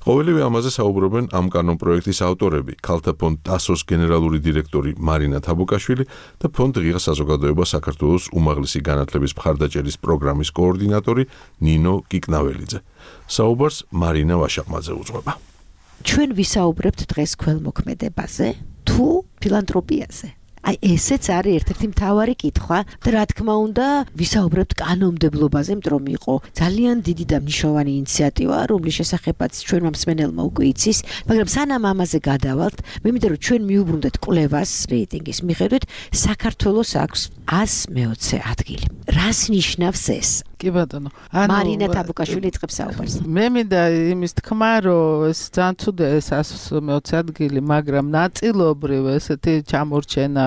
ყოველივე ამაზე საუბრობენ ამ კანონპროექტის ავტორები, ქალთა ფონდ ტასოს გენერალური დირექტორი მარინა თაბუკაშვილი და ფონდ ღია საზოგადოება საქართველოს უმაღლესი განათლების მხარდაჭერის პროგრამის კოორდინატორი ნინო კიკნაველიძე. საუბარს მარინა ვაშაყმაძე უძღვება. ჩვენ ვისაუბრებთ დღეს ქველმოქმედებაზე თუ ფილანთროპიაზე? აი ესეც არის ერთ-ერთი მთავარი კითხვა და რა თქმა უნდა ვისაუბრებთ კანონმდებლობაზე, იმიტომ რომ იყო ძალიან დიდი და მნიშვნელოვანი ინიციატივა, რომლის შესახებაც ჩვენმა მსმენელმა უკვე იცის, მაგრამ სანამ ამაზე გადავალთ, მე მინდა რომ ჩვენ მიუბრუნდეთ კვლევას რეიტინგის მიხედვით, საქართველოს აქვს εκατს მეოცე ადგილი. რას ნიშნავს ეს? კი ბატონო. მარინა თაბუკაშვილი იწყებს საუბარს. მე მინდა იმის თქმა, რომ ეს ძალიან ცუდა ეს εκατს მეოცე ადგილი, მაგრამ ნაწილობრივ ესეთი ჩამორჩენა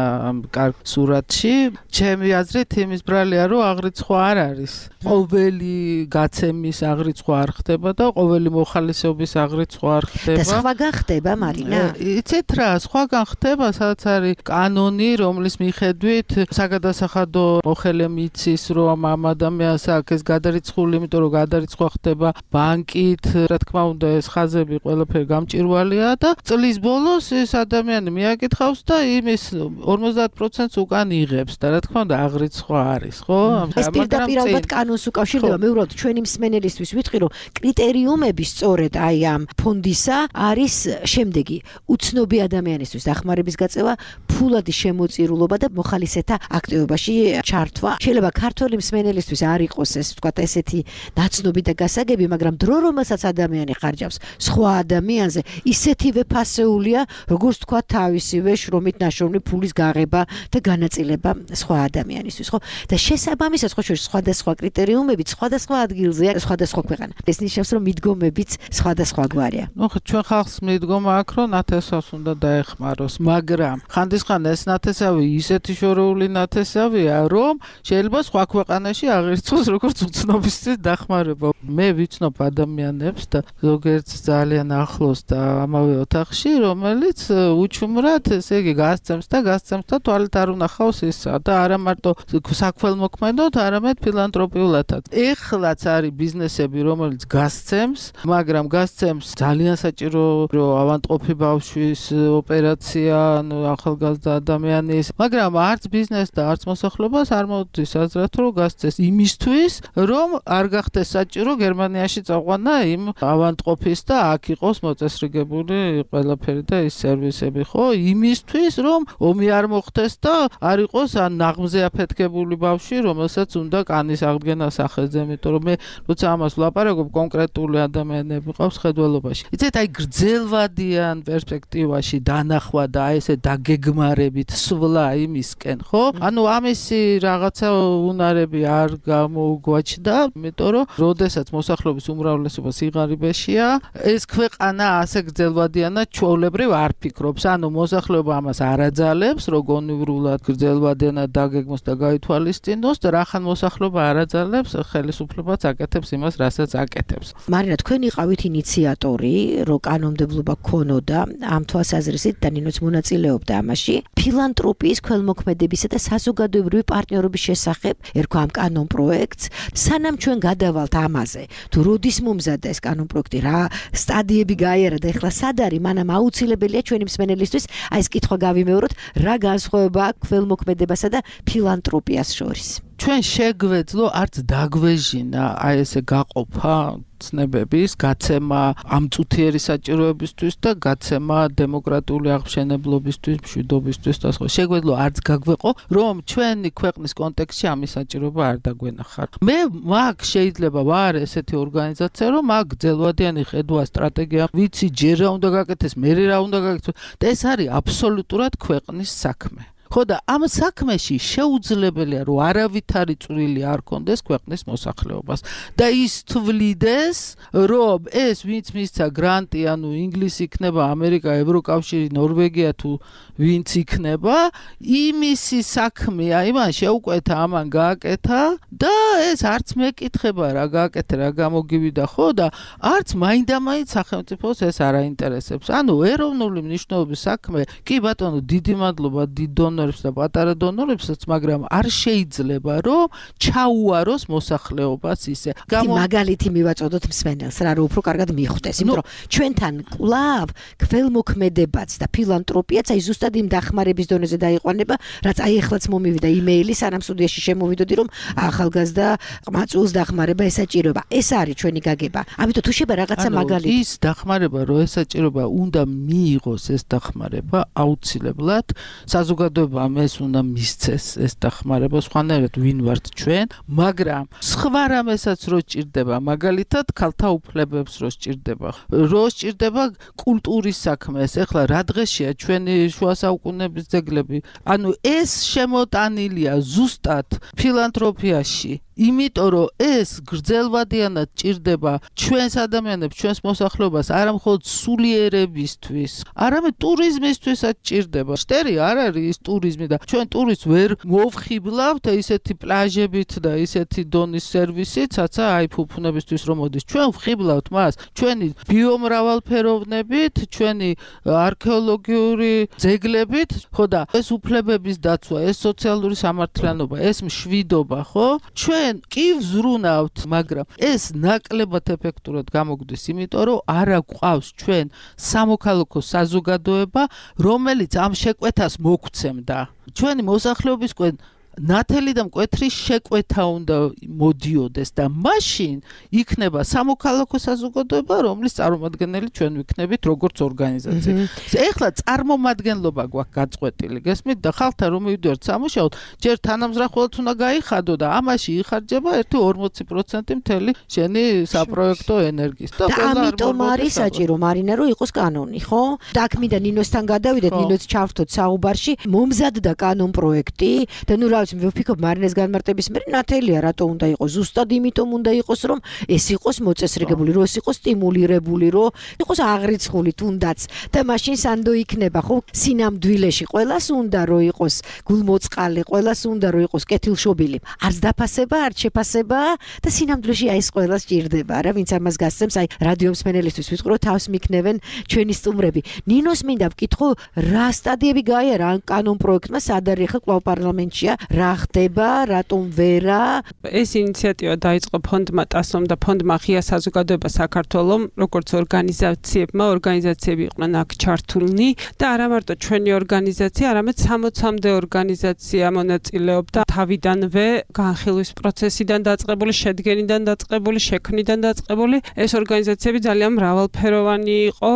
კარგ სურათში, ჩემი აზრით იმის ბრალია, რომ აღრიცხვა არ არის. ყოველი გაცემის აღრიცხვა არ ხდება და ყოველი მოხალისეობის აღრიცხვა არ ხდება. და სხვაგან ხდება, მარინა? იცით რა, სხვაგან ხდება, სადაც არის კანონი, რომლის მიხედვით საგადასახადო მოხელე მიცის, რომ ამ ადამიანს აქვს ეს გადარიცხული, იმიტომ რომ გადარიცხვა ხდება ბანკით, რა თქმა უნდა, ეს ხაზები ყველაფერი გამჭირვალეა და წლის ბოლოს ეს ადამიანი მიაკითხავს და იმის ორმოცდაათ პროცენტს უკან იღებს და რა თქმა უნდა, აღრიცხვა არის, ხო? ეს პირდაპირ ალბათ კანონს უკავშირდება. მე უბრალოდ ჩვენი მსმენელისთვის ვიტყვი, რომ კრიტერიუმები სწორედ აი ამ ფონდისა არის შემდეგი: უცნობი ადამიანისთვის დახმარების გაწევა, ფულადი შემოწირულობა და მოხალისეთა აქტივობაში ჩართვა. შეიძლება ქართველი მსმენელისთვის არ იყოს ეს ვთქვათ ესეთი ნაცნობი და გასაგები, მაგრამ დრო რომელსაც ადამიანი ხარჯავს სხვა ადამიანზე, ისეთივე ფასეულია, როგორც თქვა თავისივე შრომით ნაშრომი ფულის გაღება და განაწილება სხვა ადამიანისთვის, ხო? და შესაბამისად ხო შეიძლება სხვადასხვა კრიტერიუმები სხვადასხვა ადგილზეა, სხვადასხვა ქვეყანა. ეს ნიშნავს, რომ მიდგომებიც სხვადასხვა გვარია. ნუ ჩვენ ხალხს მიდგომა აქვს, რომ ნათესავს უნდა დაეხმაროს, მაგრამ ხანდისხან ეს ნათესავი ისეთი შორეული ნათესავია, რომ შეიძლება სხვა ქვეყანაში აღირჩოს როგორც უცნობისთვის დახმარება. მე ვიცნობ ადამიანებს და ზოგიერთ ძალიან ახლოს და ამავე ოთახში, რომელიც უჩუმრად, ესე იგი, გასცემს და გასცემს და თვალით არ უნახავს ისა და არა მარტო საქველმოქმედოდ, არამედ ფილანტროპიულადაც. ეხლაც არის ბიზნესები, რომელიც გასცემს, მაგრამ გასცემს ძალიან საჭირო, რომ ავანტყოფი ბავშვის ოპერაცია, ანუ ახალგაზრდა ადამიანის, მაგრამ არც ბიზნეს და არც მოსახლეობას არ მოუწევს აზრად, რომ გასცეს იმისთვის, რომ არ გახდეს საჭირო გერმანიაში წაყვანა იმ ავანტყოფის და აქ იყოს მოწესრიგებული ყველაფერი და ის სერვისები, ხო? იმისთვის, რომ ომი არ მოხდეს და არ იყოს ან ნაღმზე აფეთქებული ბავშვი, რომელსაც უნდა კანის აღდგენა სახეზე, იმიტომ რომ მე როცა ამას ვლაპარაკობ, კონკრეტული ადამიანები ყავს ხედველობაში. იცით, აი გრძელვადიან პერსპექტივაში დანახვა და აი ესე დაგეგმარებით სვლა იმისკენ, ხო? ანუ ამისი რაღაცა უნარები არ გამოუგვაჩნდა, იმიტომ რომ როდესაც მოსახლეობის უმრავლესობა სიღარიბეშია, ეს ქვეყანა ასე გრძელვადიანად ჩვეულებრივ არ ფიქრობს. ანუ მოსახლეობა ამას არ აძალებს, რომ გონივრულად გრძელვადიანად დაგეგმოს და გაითვალისწინოს და რახან მოსახლეობა არ აძალებს, ხელისუფლებაც აკეთებს იმას, რასაც აკეთებს. მარინა, თქვენ იყავით ინიციატორი, რომ კანონმდებლობა ქონოდა ამ თვალსაზრისით და ნინოც მონაწილეობდა ამაში. ფილანტროპიის, ქველმოქმედებისა და საზოგადოებრივი პარტნიორობის შესახებ ერქვა ამ კანონ პროექტს. სანამ ჩვენ გადავალთ ამაზე, თუ როდის მომზადდა ეს კანონ პროექტი, რა სტადიები გაიარა და ეხლა სად არის, მანამ აუცილებელია ჩვენი მსმენელისთვის აი ეს კითხვა გავიმეოროთ, რა განსხვავება აქვს ქველმოქმედებასა და ფილანტროპიას შორის. ჩვენ შეგვეძლო არც დაგვეჟინა აი ესე გაყოფა ცნებების, გაცემა ამ წუთიერი საჭიროებისთვის და გაცემა დემოკრატიული აღმშენებლობისთვის, მშვიდობისთვის და სხვა. შეგვეძლო არც გაგვეყო, რომ ჩვენი ქვეყნის კონტექსტში ამის საჭიროება არ დაგვენახარ. მე მაგ შეიძლება ვარ ესეთი ორგანიზაცია, რომ მაგ გრძელვადიანი ხედვა სტრატეგია, ვიცი ჯერ რა უნდა გაკეთდეს, მერე რა უნდა გაკეთდეს. და ეს არის აბსოლუტურად ქვეყნის საქმე. ხო და ამ საქმეში შეუძლებელია, რომ არავითარი წვლილი არ კონდეს ქვეყნის მოსახლეობას და ის თვლიდეს, რომ ეს ვინც მისცა გრანტი, ანუ ინგლისი იქნება, ამერიკა, ევროკავშირი, ნორვეგია თუ ვინც იქნება, იმისი საქმეა, იმან შეუკვეთა, ამან გააკეთა და ეს არც მეკითხება რა გააკეთე, რა გამოგივიდა, ხო და არც მაინდამაინც სახელმწიფოს ეს არ აინტერესებს. ანუ ეროვნული მნიშვნელობის საქმე, კი ბატონო, დიდი მადლობა დიდ დონორებს და პატარა დონორებსაც, მაგრამ არ შეიძლება რომ ჩაუაროს მოსახლეობას ისე. მაგალითი მივაწოდოთ მსმენელს, რა რომ უფრო კარგად მიხვდეს, იმიტომ რომ ჩვენთან კვლავ ქველმოქმედებაც და ფილანტროპიაც აი ზუსტად იმ დახმარების დონეზე დაიყვანება, რაც აი ეხლაც მომივიდა იმეილი, სანამ სტუდიაში შემოვიდოდი, რომ ახალგაზრდა ყმაწვილს დახმარება ესაჭიროება. ეს არის ჩვენი გაგება. ამიტომ თუ შეიძლება რაღაცა მაგალითი ის დახმარება, რომ ესაჭიროება, უნდა მიიღოს ეს დახმარება აუცილებლად საზოგადოებამ ეს უნდა მისცეს ეს დახმარება, სხვანაირად ვინ ვართ ჩვენ, მაგრამ სხვა რამესაც რო სჭირდება, მაგალითად ქალთა უფლებებს რო სჭირდება, რო სჭირდება კულტურის საქმეს, ეხლა რა დღეშია ჩვენი შუა საუკუნეების ძეგლები, ანუ ეს შემოტანილია ზუსტად ფილანტროპიაში იმიტომ რომ ეს გრძელვადიანად ჭირდება ჩვენს ადამიანებს, ჩვენს მოსახლეობას, არა მხოლოდ სულიერებისთვის, არამედ ტურიზმისთვისაც ჭირდება. შტერი არ არის ის ტურიზმი და ჩვენ ტურისტს ვერ მოვხიბლავთ ისეთი პლაჟებით და ისეთი დონის სერვისით, რაცა აი ფუფუნებისთვის რომ მოდის. ჩვენ ვხიბლავთ მას ჩვენი ბიომრავალფეროვნებით, ჩვენი არქეოლოგიური ძეგლებით, ხო და ეს უფლებების დაცვა, ეს სოციალური სამართლიანობა, ეს მშვიდობა, ხო? ჩვენ კი ვზრუნავთ, მაგრამ ეს ნაკლებად ეფექტურად გამოგვდის, იმიტომ რომ არ აგვყავს ჩვენ სამოქალაქო საზოგადოება, რომელიც ამ შეკვეთას მოგცემდა. ჩვენი მოსახლეობისკენ ნათელი და მკვეთრი შეკვეთა უნდა მოდიოდეს და მაშინ იქნება სამოქალაქო საზოგადოება, რომლის წარმომადგენელი ჩვენ ვიქნებით როგორც ორგანიზაცია. ეხლა წარმომადგენლობა გვაქვს გაწყვეტილი, გესმით და ხალხთან რომ მივიდივართ სამუშაოდ, ჯერ თანამზრახველად უნდა გაიხადო და ამაში იხარჯება ერთი ორმოცი პროცენტი მთელი შენი საპროექტო ენერგიის. და ამიტომ არის საჭირო მარინა რომ იყოს კანონი, ხო? და აქ მინდა ნინოსთან გადავიდეთ, ნინოც ჩავრთოთ საუბარში, მომზადდა კანონ პროექტი და ნუ რა მე ვფიქრობ მარინეს განმარტების მე ნათელია რატო უნდა იყოს ზუსტად იმიტომ უნდა იყოს რომ ეს იყოს მოწესრიგებული რომ ეს იყოს სტიმულირებული რომ იყოს აღრიცხული თუნდაც და მაშინ სანდო იქნება ხო სინამდვილეში ყველას უნდა რომ იყოს გულმოწყალე ყველას უნდა რომ იყოს კეთილშობილი არც დაფასება არც შეფასება და სინამდვილეში აი ეს ყველას ჭირდება რა ვინც ამას გასცემს აი რადიო მსმენელისთვის ვიტყვი რომ თავს მიქნევენ ჩვენი სტუმრები ნინოს მინდა ვკითხო რა სტადიები გაიარა ამ კანონ პროექტმა სად არის ხა კვლავ პარლამენტშია რა ხდება, რატომ ვერა? ეს ინიციატივა დაიწყო ფონდმა ტასომ და ფონდმა ღია საზოგადოება საქართველოს, როგორც ორგანიზაციებმა, ორგანიზაციები იყვნენ აქ ჩართულნი და არა მარტო ჩვენი ორგანიზაცია, არამედ სამოცამდე ორგანიზაცია მონაწილეობდა თავიდანვე განხილვის პროცესიდან დაწყებული, შედგენიდან დაწყებული, შექმნიდან დაწყებული. ეს ორგანიზაციები ძალიან მრავალფეროვანი იყო.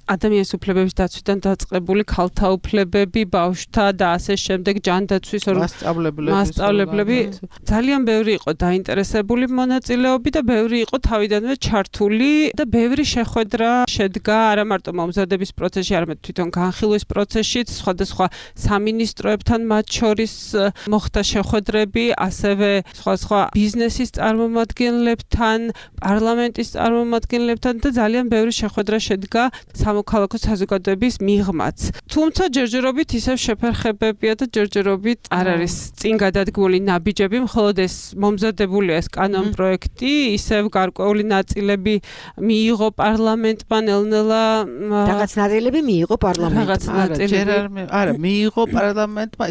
ადამიანის უფლებების დაცვიდან დაწყებული ქალთა უფლებები, ბავშვთა და ასე შემდეგ ჯანდაცვის მასწავლებლები ძალიან ბევრი იყო დაინტერესებული მონაწილეობი და ბევრი იყო თავიდანვე ჩართული და ბევრი შეხვედრა შედგა არა მარტო მომზადების პროცესში, არამედ თვითონ განხილვის პროცესშიც, სხვადასხვა სამინისტროებთან მათ შორის მოხდა შეხვედრები, ასევე სხვადასხვა ბიზნესის წარმომადგენლებთან, პარლამენტის წარმომადგენლებთან და ძალიან ბევრი შეხვედრა შედგა სამოქალაქო საზოგადოების მიღმაც. თუმცა ჯერჯერობით ისევ შეფერხებებია და ჯერჯერობით არ არის წინ გადადგმული ნაბიჯები, მხოლოდ ეს მომზადებული ეს კანონ პროექტი, ისევ გარკვეული ნაწილები მიიღო პარლამენტმა ნელ-ნელა რაღაც ნაწილები მიიღო პარლამენტმა. არა, მიიღო პარლამენტმა.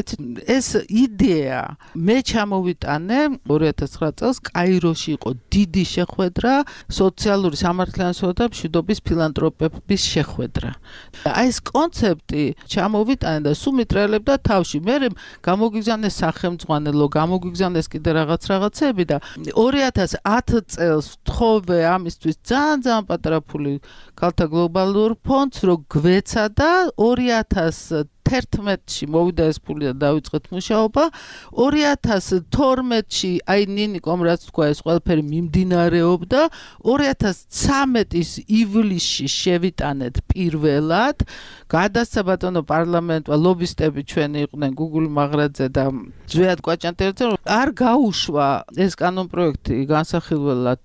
ეს იდეა მე ჩამოვიტანე ორი ათას ცხრა წელს კაიროში იყო დიდი შეხვედრა სოციალური სამართლიანობა და მშვიდობის ფილანტროპების შეხვედრა. აი ეს კონცეფტი ჩამოვიტანე და სულ მიტრელებდა თავში. მე გამოგიგზავნეს სახელმძღვანელო, გამოგიგზავნეს კიდე რაღაც რაღაცები და ორი ათას ათი წელს ვთხოვე ამისთვის ძალიან ძალიან პატარა ფული ქალთა გლობალურ ფონდს რომ გვეცა და ორი ათას თერთმეტში მოვიდა ეს ფული და დავიწყეთ მუშაობა. ორი ათას თორმეტში აი ნინიკომ რაც თქვა ეს ყველაფერი მიმდინარეობდა. ორი ათას ცხრამეტის ივლისში შევიტანეთ პირველად. გადასცა ბატონო პარლამენტმა ლობისტები ჩვენი იყვნენ გუგული მაღრაძე და ზვიად კვაჭანტელაძე არ გაუშვა ეს კანონ პროექტი განსახილველად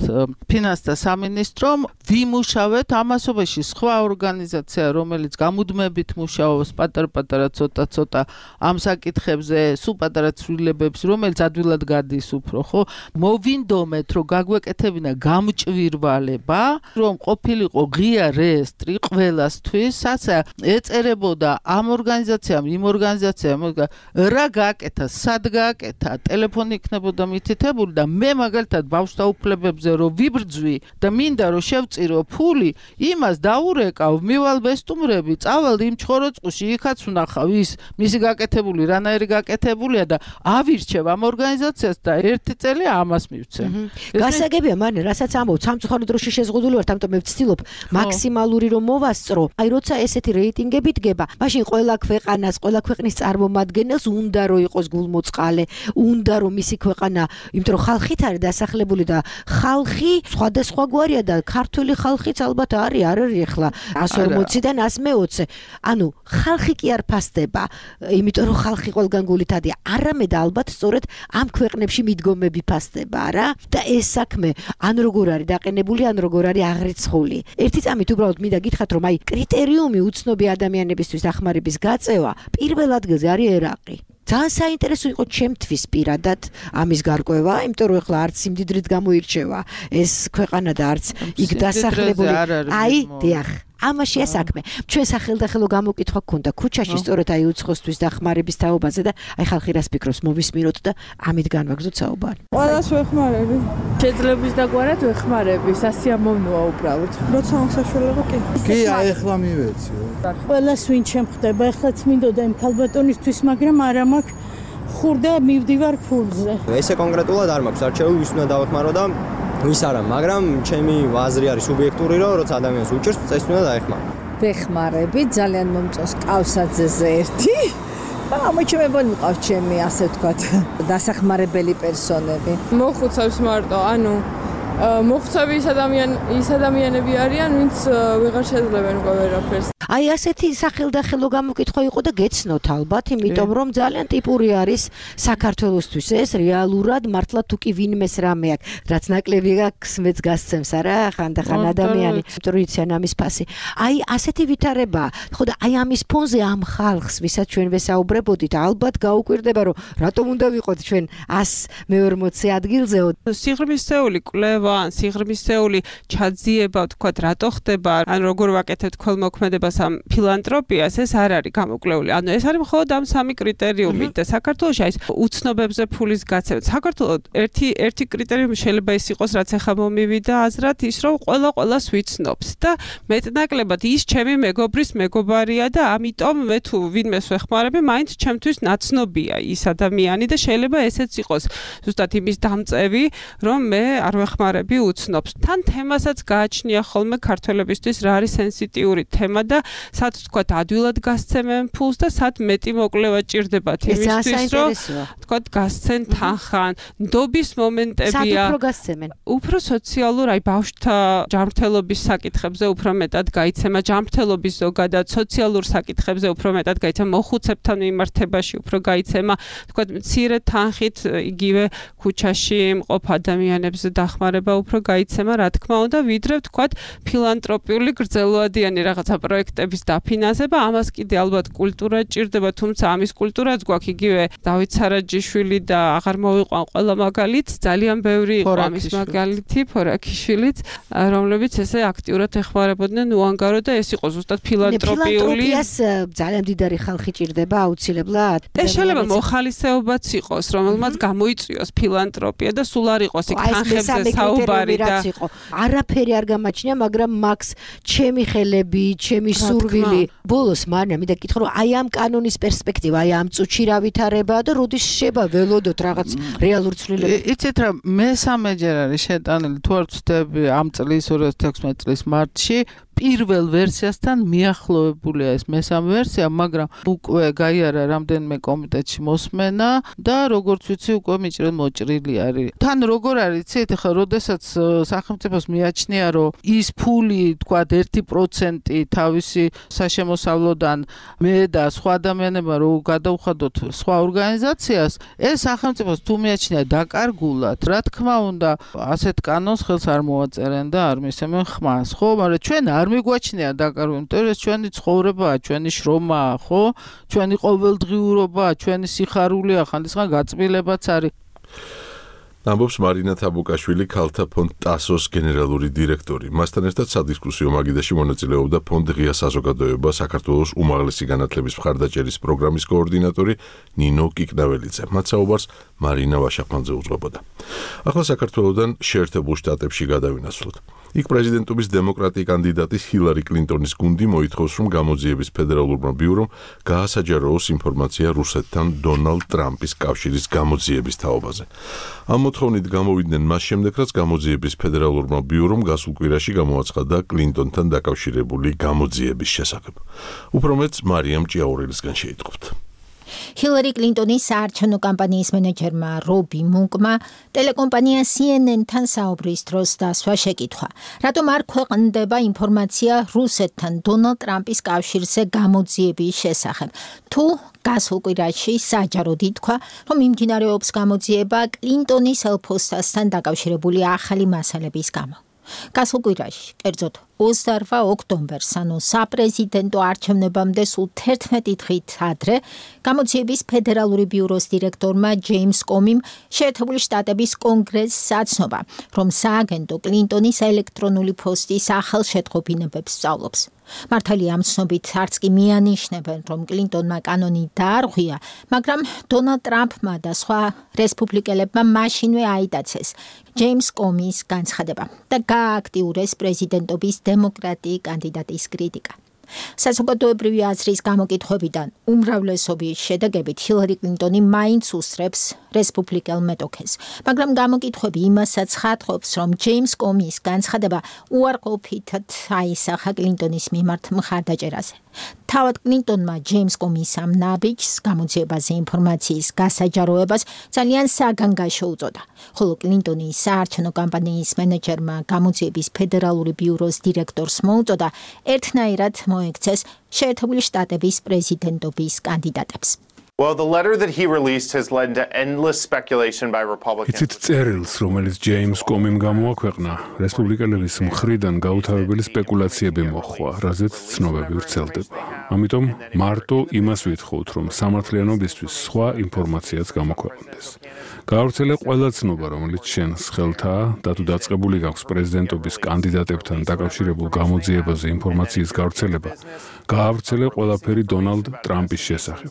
ფინანსთა სამინისტრომ ვიმუშავეთ ამასობაში სხვა ორგანიზაცია რომელიც გამუდმებით მუშაობს პატარ-პატარა ცოტა-ცოტა ამ საკითხებზე სულ პატარა ცვლილებებს რომელიც ადვილად გადის უფრო ხო მოვინდომეთ რომ გაგვეკეთებინა გამჭვირვალება რომ ყოფილიყო ღია რეესტრი ყველასთვის საცა ეწერებოდა ამ ორგანიზაციამ იმ ორგანიზაციამ რა გააკეთა სად გააკეთა ტელეფონი იქნებოდა მითითებული და მე მაგალითად ბავშვთა უფლებებზე რომ ვიბრძვი და მინდა რომ შევწირო ფული იმას დაურეკავ მივალ ბესტუმრები წავალ იმ ჩხოროწყუში იქაც ვნახავ ის მისი გაკეთებული რანაირი გაკეთებულია და ავირჩევ ამ ორგანიზაციას და ერთი წელი ამას მივცე. გასაგებია მანე რასაც ამბობ სამწუხაროდ დროში შეზღუდული ვარ ამიტომ მე ვცდილობ მაქსიმალური რომ მოვასწრო აი როცა ესეთი რეიტინგები დგება მაშინ ყველა ქვეყანას ყველა ქვეყნის წარმომადგენელს უნდა რომ იყოს გულმოწყალე უნდა რომ მისი ქვეყანა იმიტომ რომ ხალხით არის დასახლებული და ხალხი სხვადასხვაგვარია და ქართული ხალხიც ალბათ არის არ არის ახლა εκατს ორმოციდან εκατს მეოცე ანუ ხალხი კი არ ფასდება, იმიტომ რომ ხალხი ყველგან გულითადია, არამედ ალბათ სწორედ ამ ქვეყნებში მიდგომები ფასდება რა და ეს საქმე ან როგორ არის დაყენებული, ან როგორ არის აღრიცხული. ერთი წამით უბრალოდ მინდა გითხრათ, რომ აი კრიტერიუმი უცნობი ადამიანებისთვის დახმარების გაწევა პირველ ადგილზე არის ერაყი. ძალიან საინტერესო იყო ჩემთვის პირადად ამის გარკვევა, იმიტომ რომ ეხლა არც სიმდიდრით გამოირჩევა ეს ქვეყანა და არც იქ დასახლებული. აი, დიახ. ამაშია საქმე. ჩვენ სახელდახელო გამოკითხვა გქონდა ქუჩაში სწორედ აი უცხოსთვის დახმარების თაობაზე და აი ხალხი რას ფიქრობს მოვისმინოთ და ამით განვაგრძოთ საუბარი. ყველას ვეხმარები. შეძლების დაგვარად ვეხმარები, სასიამოვნოა უბრალოდ. როცა საშუალება კი. კი, აი ეხლა მივეციო. ყველას ვინ შემხდება, ეხლაც მინდოდა იმ ქალბატონისთვის, მაგრამ არა მაქვს ხურდა მივდივარ ფულზე. ესე კონკრეტულად არ მაქვს არჩეული, ვის უნდა დავეხმარო და ვის არა, მაგრამ ჩემი აზრი არის სუბიექტური, რომ როცა ადამიანს უჭირს, წეს უნდა დაეხმარო. ვეხმარები, ძალიან მომწონს ყავსაძეზე ერთი. ამოჩემებული მყავს ჩემი, ასე ვთქვათ, დასახმარებელი პერსონები. მოხუცებს მარტო, ანუ მოხუცები ის ადამიან ის ადამიანები არიან, ვინც ვეღარ შეძლებენ უკვე ვერაფერს. აი ასეთი სახელდახელო გამოკითხვა იყო და გეცნოთ ალბათ, იმიტომ რომ ძალიან ტიპური არის საქართველოსთვის ეს რეალურად მართლა თუ კი ვინმეს რამე აქვს, რაც ნაკლები აქვს, მეც გასცემს არა, ხანდახან ადამიანი, ტრიციან ამის ფასი. აი ასეთი ვითარება, ხო და აი ამის ფონზე ამ ხალხს, ვისაც ჩვენ ვესაუბრებოდით, ალბათ გაუკვირდება, რომ რატომ უნდა ვიყოთ ჩვენ ას მეორმოცე ადგილზეო. სიღრმისეული კვლევა, სიღრმისეული ჩაძიება, თქვათ, რატო ხდება, ან როგორ ვაკეთებთ ქველმოქმედებას ამ ფილანტროპიას, ეს არ არის გამოკვლეული. ანუ ეს არის მხოლოდ ამ სამი კრიტერიუმით და საქართველოში აი უცნობებზე ფულის გაცემა. საქართველოს ერთი ერთი კრიტერიუმი შეიძლება ის იყოს, რაც ახლა მომივიდა აზრად, ის რომ ყველა ყველას ვიცნობს და მეტნაკლებად ის ჩემი მეგობრის მეგობარია და ამიტომ მე თუ ვინმეს ვეხმარები, მაინც ჩემთვის ნაცნობია ის ადამიანი და შეიძლება ესეც იყოს ზუსტად იმის დამწევი, რომ მე არ ვეხმარები უცნობს. თან თემასაც გააჩნია ხოლმე ქართველებისთვის რა არის სენსიტიური თემა და სად თქვათ ადვილად გასცემენ ფულს და სად მეტი მოკვლევა ჭირდებათ იმისთვის, რომ თქვათ გასცენ თანხან, ნდობის მომენტებია. სად უფრო გასცემენ? უფრო სოციალურ, აი ბავშვთა ჯანმრთელობის საკითხებზე უფრო მეტად გაიცემა, ჯანმრთელობის ზოგადად სოციალურ საკითხებზე უფრო მეტად გაიცემა, მოხუცებთან მიმართებაში უფრო გაიცემა, თქვათ მცირე თანხით იგივე ქუჩაში მყოფ ადამიანებს დახმარება უფრო გაიცემა, რა თქმა უნდა, ვიდრე თქვათ ფილანტროპიული გრძელვადიანი რაღაცა პროექტების დაფინანსება, ამას კიდე ალბათ კულტურა ჭირდება, თუმცა ამის კულტურაც გვაქვს იგივე დავით სარაჯიშვილი და აღარ მოვიყვან ყველა მაგალით, ძალიან ბევრი იყო ამის მაგალითი, ფორაქიშვილიც, რომლებიც ესე აქტიურად ეხმარებოდნენ უანგარო და ეს იყო ზუსტად ფილანტროპიული. ფილანტროპიას ძალიან დიდარი ხალხი ჭირდება აუცილებლად. ეს შეიძლება მოხალისეობაც იყოს, რომელმაც გამოიწვიოს ფილანტროპია და სულ არ იყოს იქ თანხებზე საუბარი და არაფერი არ გამაჩნია, მაგრამ მაქს ჩემი ხელები, ჩემი სურვილი. ბოლოს მარია მინდა გითხრა, რომ აი ამ კანონის პერსპექტივა, აი ამ წუთში რა ვითარებაა და როდის შეება ველოდოთ რაღაც რეალურ ცვლილებებს. იცით რა, მესამეჯერ არის შეტანილი, თუ არ ვცდები, ამ წლის ორი ათას ათექვსმეტი წლის მარტში პირველ ვერსიასთან მიახლოებულია ეს მესამე ვერსია, მაგრამ უკვე გაიარა რამდენიმე კომიტეტში მოსმენა და როგორც ვიცი უკვე მიჭრელ მოჭრილი არის. თან როგორ არის, იცით, ხა როდესაც სახელმწიფოს მიაჩნია, რომ ის ფული, თქვა ერთი პროცენტი თავისი საშემოსავლოდან მე და სხვა ადამიანებმა რო გადავხადოთ სხვა ორგანიზაციას, ეს სახელმწიფოს თუ მიაჩნია დაკარგულად, რა თქმა უნდა, ასეთ კანონს ხელს არ მოაწერენ და არ მისცემენ ხმას, ხო? მაგრამ ჩვენ არ მიგვაჩნია დაკარგული, იმიტომ რომ ჩვენი ცხოვრებაა, ჩვენი შრომაა, ხო? ჩვენი ყოველდღიურობაა, ჩვენი სიხარულია, ხანდახან გაწმილებაც არის. ამბობს მარინა თაბუკაშვილი, ქალთა ფონდ ტასოს გენერალური დირექტორი. მასთან ერთად სადისკუსიო მაგიდაში მონაწილეობდა ფონდ ღია საზოგადოება საქართველოს უმაღლესი განათლების მხარდაჭერის პროგრამის კოორდინატორი ნინო კიკნაველიძე. მათ საუბარს მარინა ვაშაკმანძე უძღვებოდა. ახლა საქართველოსდან შეერთებულ შტატებში გადავინაცვლოთ. იქ პრეზიდენტობის დემოკრატი კანდიდატის ჰილარი კლინტონის გუნდი მოითხოვს, რომ გამოძიების ფედერალურმა ბიურომ გაასაჯაროოს ინფორმაცია რუსეთთან დონალდ ტრამპის კავშირის გამოძიების თაობაზე. ამ მოთხოვნით გამოვიდნენ მას შემდეგ, რაც გამოძიების ფედერალურმა ბიურომ გასულ კვირაში გამოაცხადა კლინტონთან დაკავშირებული გამოძიების შესახებ. უფრო მეტს მარიამ ჭიაურელისგან შეიტყობთ. ჰილარი კლინტონის საარჩევნო კამპანიის მენეჯერმა რობი მუნკმა ტელეკომპანია C N N-თან საუბრის დროს დასვა შეკითხვა, რატომ არ ქვეყნდება ინფორმაცია რუსეთთან დონალდ ტრამპის კავშირზე გამოძიების შესახებ. თუ გასულ კვირაში საჯაროდ ითქვა, რომ მიმდინარეობს გამოძიება კლინტონის ელფოსტასთან დაკავშირებული ახალი მასალების გამო. გასულ კვირაში, კერძოდ ოცდაორ ოქტომბერს, ანუ საპრეზიდენტო არჩევნებამდე სულ თერთმეტი დღით ადრე, გამოძიების ფედერალური ბიუროს დირექტორმა ჯეიმს კომიმ შეერთებული შტატების კონგრესს აცნობა, რომ სააგენტო კლინტონის ელექტრონული პოსტის ახალ შეწყობინებებს სწავლობს. მართალია ამ ცნობით არც კი მიანიშნებენ, რომ კლინტონმა კანონი დაარღვია, მაგრამ დონალდ ტრამპმა და სხვა რესპუბლიკელებმა მაშინვე აიტაცეს ჯეიმს კომის განცხადება და გააქტიურეს პრეზიდენტობის დემოკრატი კანდიდატის კრიტიკა. საზოგადოებრივი აზრის გამოკითხვებიდან უმრავლესობის შედეგებით ჰილარი კლინტონი მაინც უსწრებს რესპუბლიკელ მეტოქეს, მაგრამ გამოკითხვები იმასაც ხატყობს, რომ ჯეიმს კომის განცხადება უარყოფითად აისახა კლინტონის მიმართ მხარდაჭერაზე. თავად კლინტონმა ჯეიმს კომის ამ ნაბიჯს გამოძიებაზე ინფორმაციის გასაჯაროებას ძალიან საგანგაშო უწოდა, ხოლო კლინტონის საარჩევნო კამპანიის მენეჯერმა გამოძიების ფედერალური ბიუროს დირექტორს მოუწოდა ერთნაირად მოექცეს შეერთებული შტატების პრეზიდენტობის კანდიდატებს. Well, the letter that he released has led to endless speculation by Republicans. Იცით წერილს, რომელიც ჯეიმს კომიმ გამოაქვეყნა, რესპუბლიკელების მხრიდან გაუთავებელი სპეკულაციები მოხვა, რაზეც ცნობები ვრცელდება. ამიტომ მარტო იმას ვითხოვთ, რომ სამართლიანობისთვის სხვა ინფორმაციაც გამოქვეყნდეს. გაავრცელე ყველა ცნობა, რომელიც შენს ხელთაა და თუ დაწყებული გაქვს პრეზიდენტობის კანდიდატებთან დაკავშირებულ გამოძიებაზე ინფორმაციის გავრცელება, გაავრცელე ყველაფერი დონალდ ტრამპის შესახებ.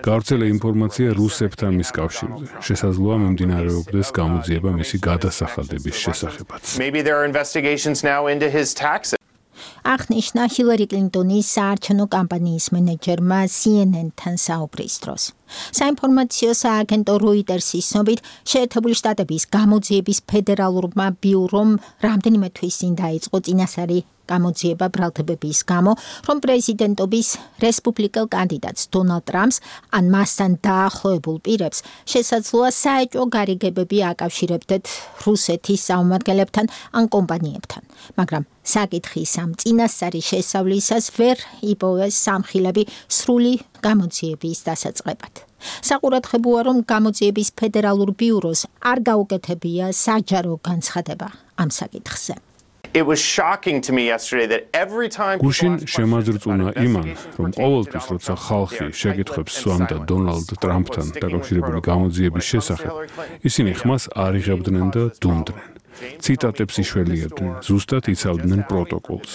გაავრცელე ინფორმაცია რუსებთან მის კავშირზე. შესაძლოა მიმდინარეობდეს გამოძიება მისი გადასახადების შესახებაც. Maybe there are investigations now into his taxes. აღნიშნა ჰილარი კლინტონის საარჩევნო კამპანიის მენეჯერმა C N N-თან საუბრის დროს. საინფორმაციო სააგენტო როიტერსის ცნობით, შეერთებული შტატების გამოძიების ფედერალურმა ბიურომ რამდენიმე თვის წინ დაიწყო წინასწარი გამოძიება ბრალდებების გამო, რომ პრეზიდენტობის რესპუბლიკელ კანდიდატს დონალდ ტრამპს ან მასთან დაახლოებულ პირებს შესაძლოა საეჭვო გარიგებები აკავშირებდეთ რუსეთის საომარგელებთან ან კომპანიებთან, მაგრამ საკითხის ამ წინასწარი შესავლისას ვერ იპოვეს სამხილები სრული გამოძიების დასაწყებად. საყურადღებოა, რომ გამოძიების ფედერალურ ბიუროს არ გაუკეთებია საჯარო განცხადება ამ საკითხზე. It was shocking to me yesterday that every time გუშინ შემაძრწუნა იმან, რომ ყოველთვის როცა ხალხი შეკითხვებს სვამდა დონალდ ტრამპთან დაკავშირებული გამოძიების შესახებ, ისინი ხმას არ იღებდნენ და დუმდნენ. ციტატებს იშველიებდნენ, ზუსტად იცავდნენ პროტოკოლს.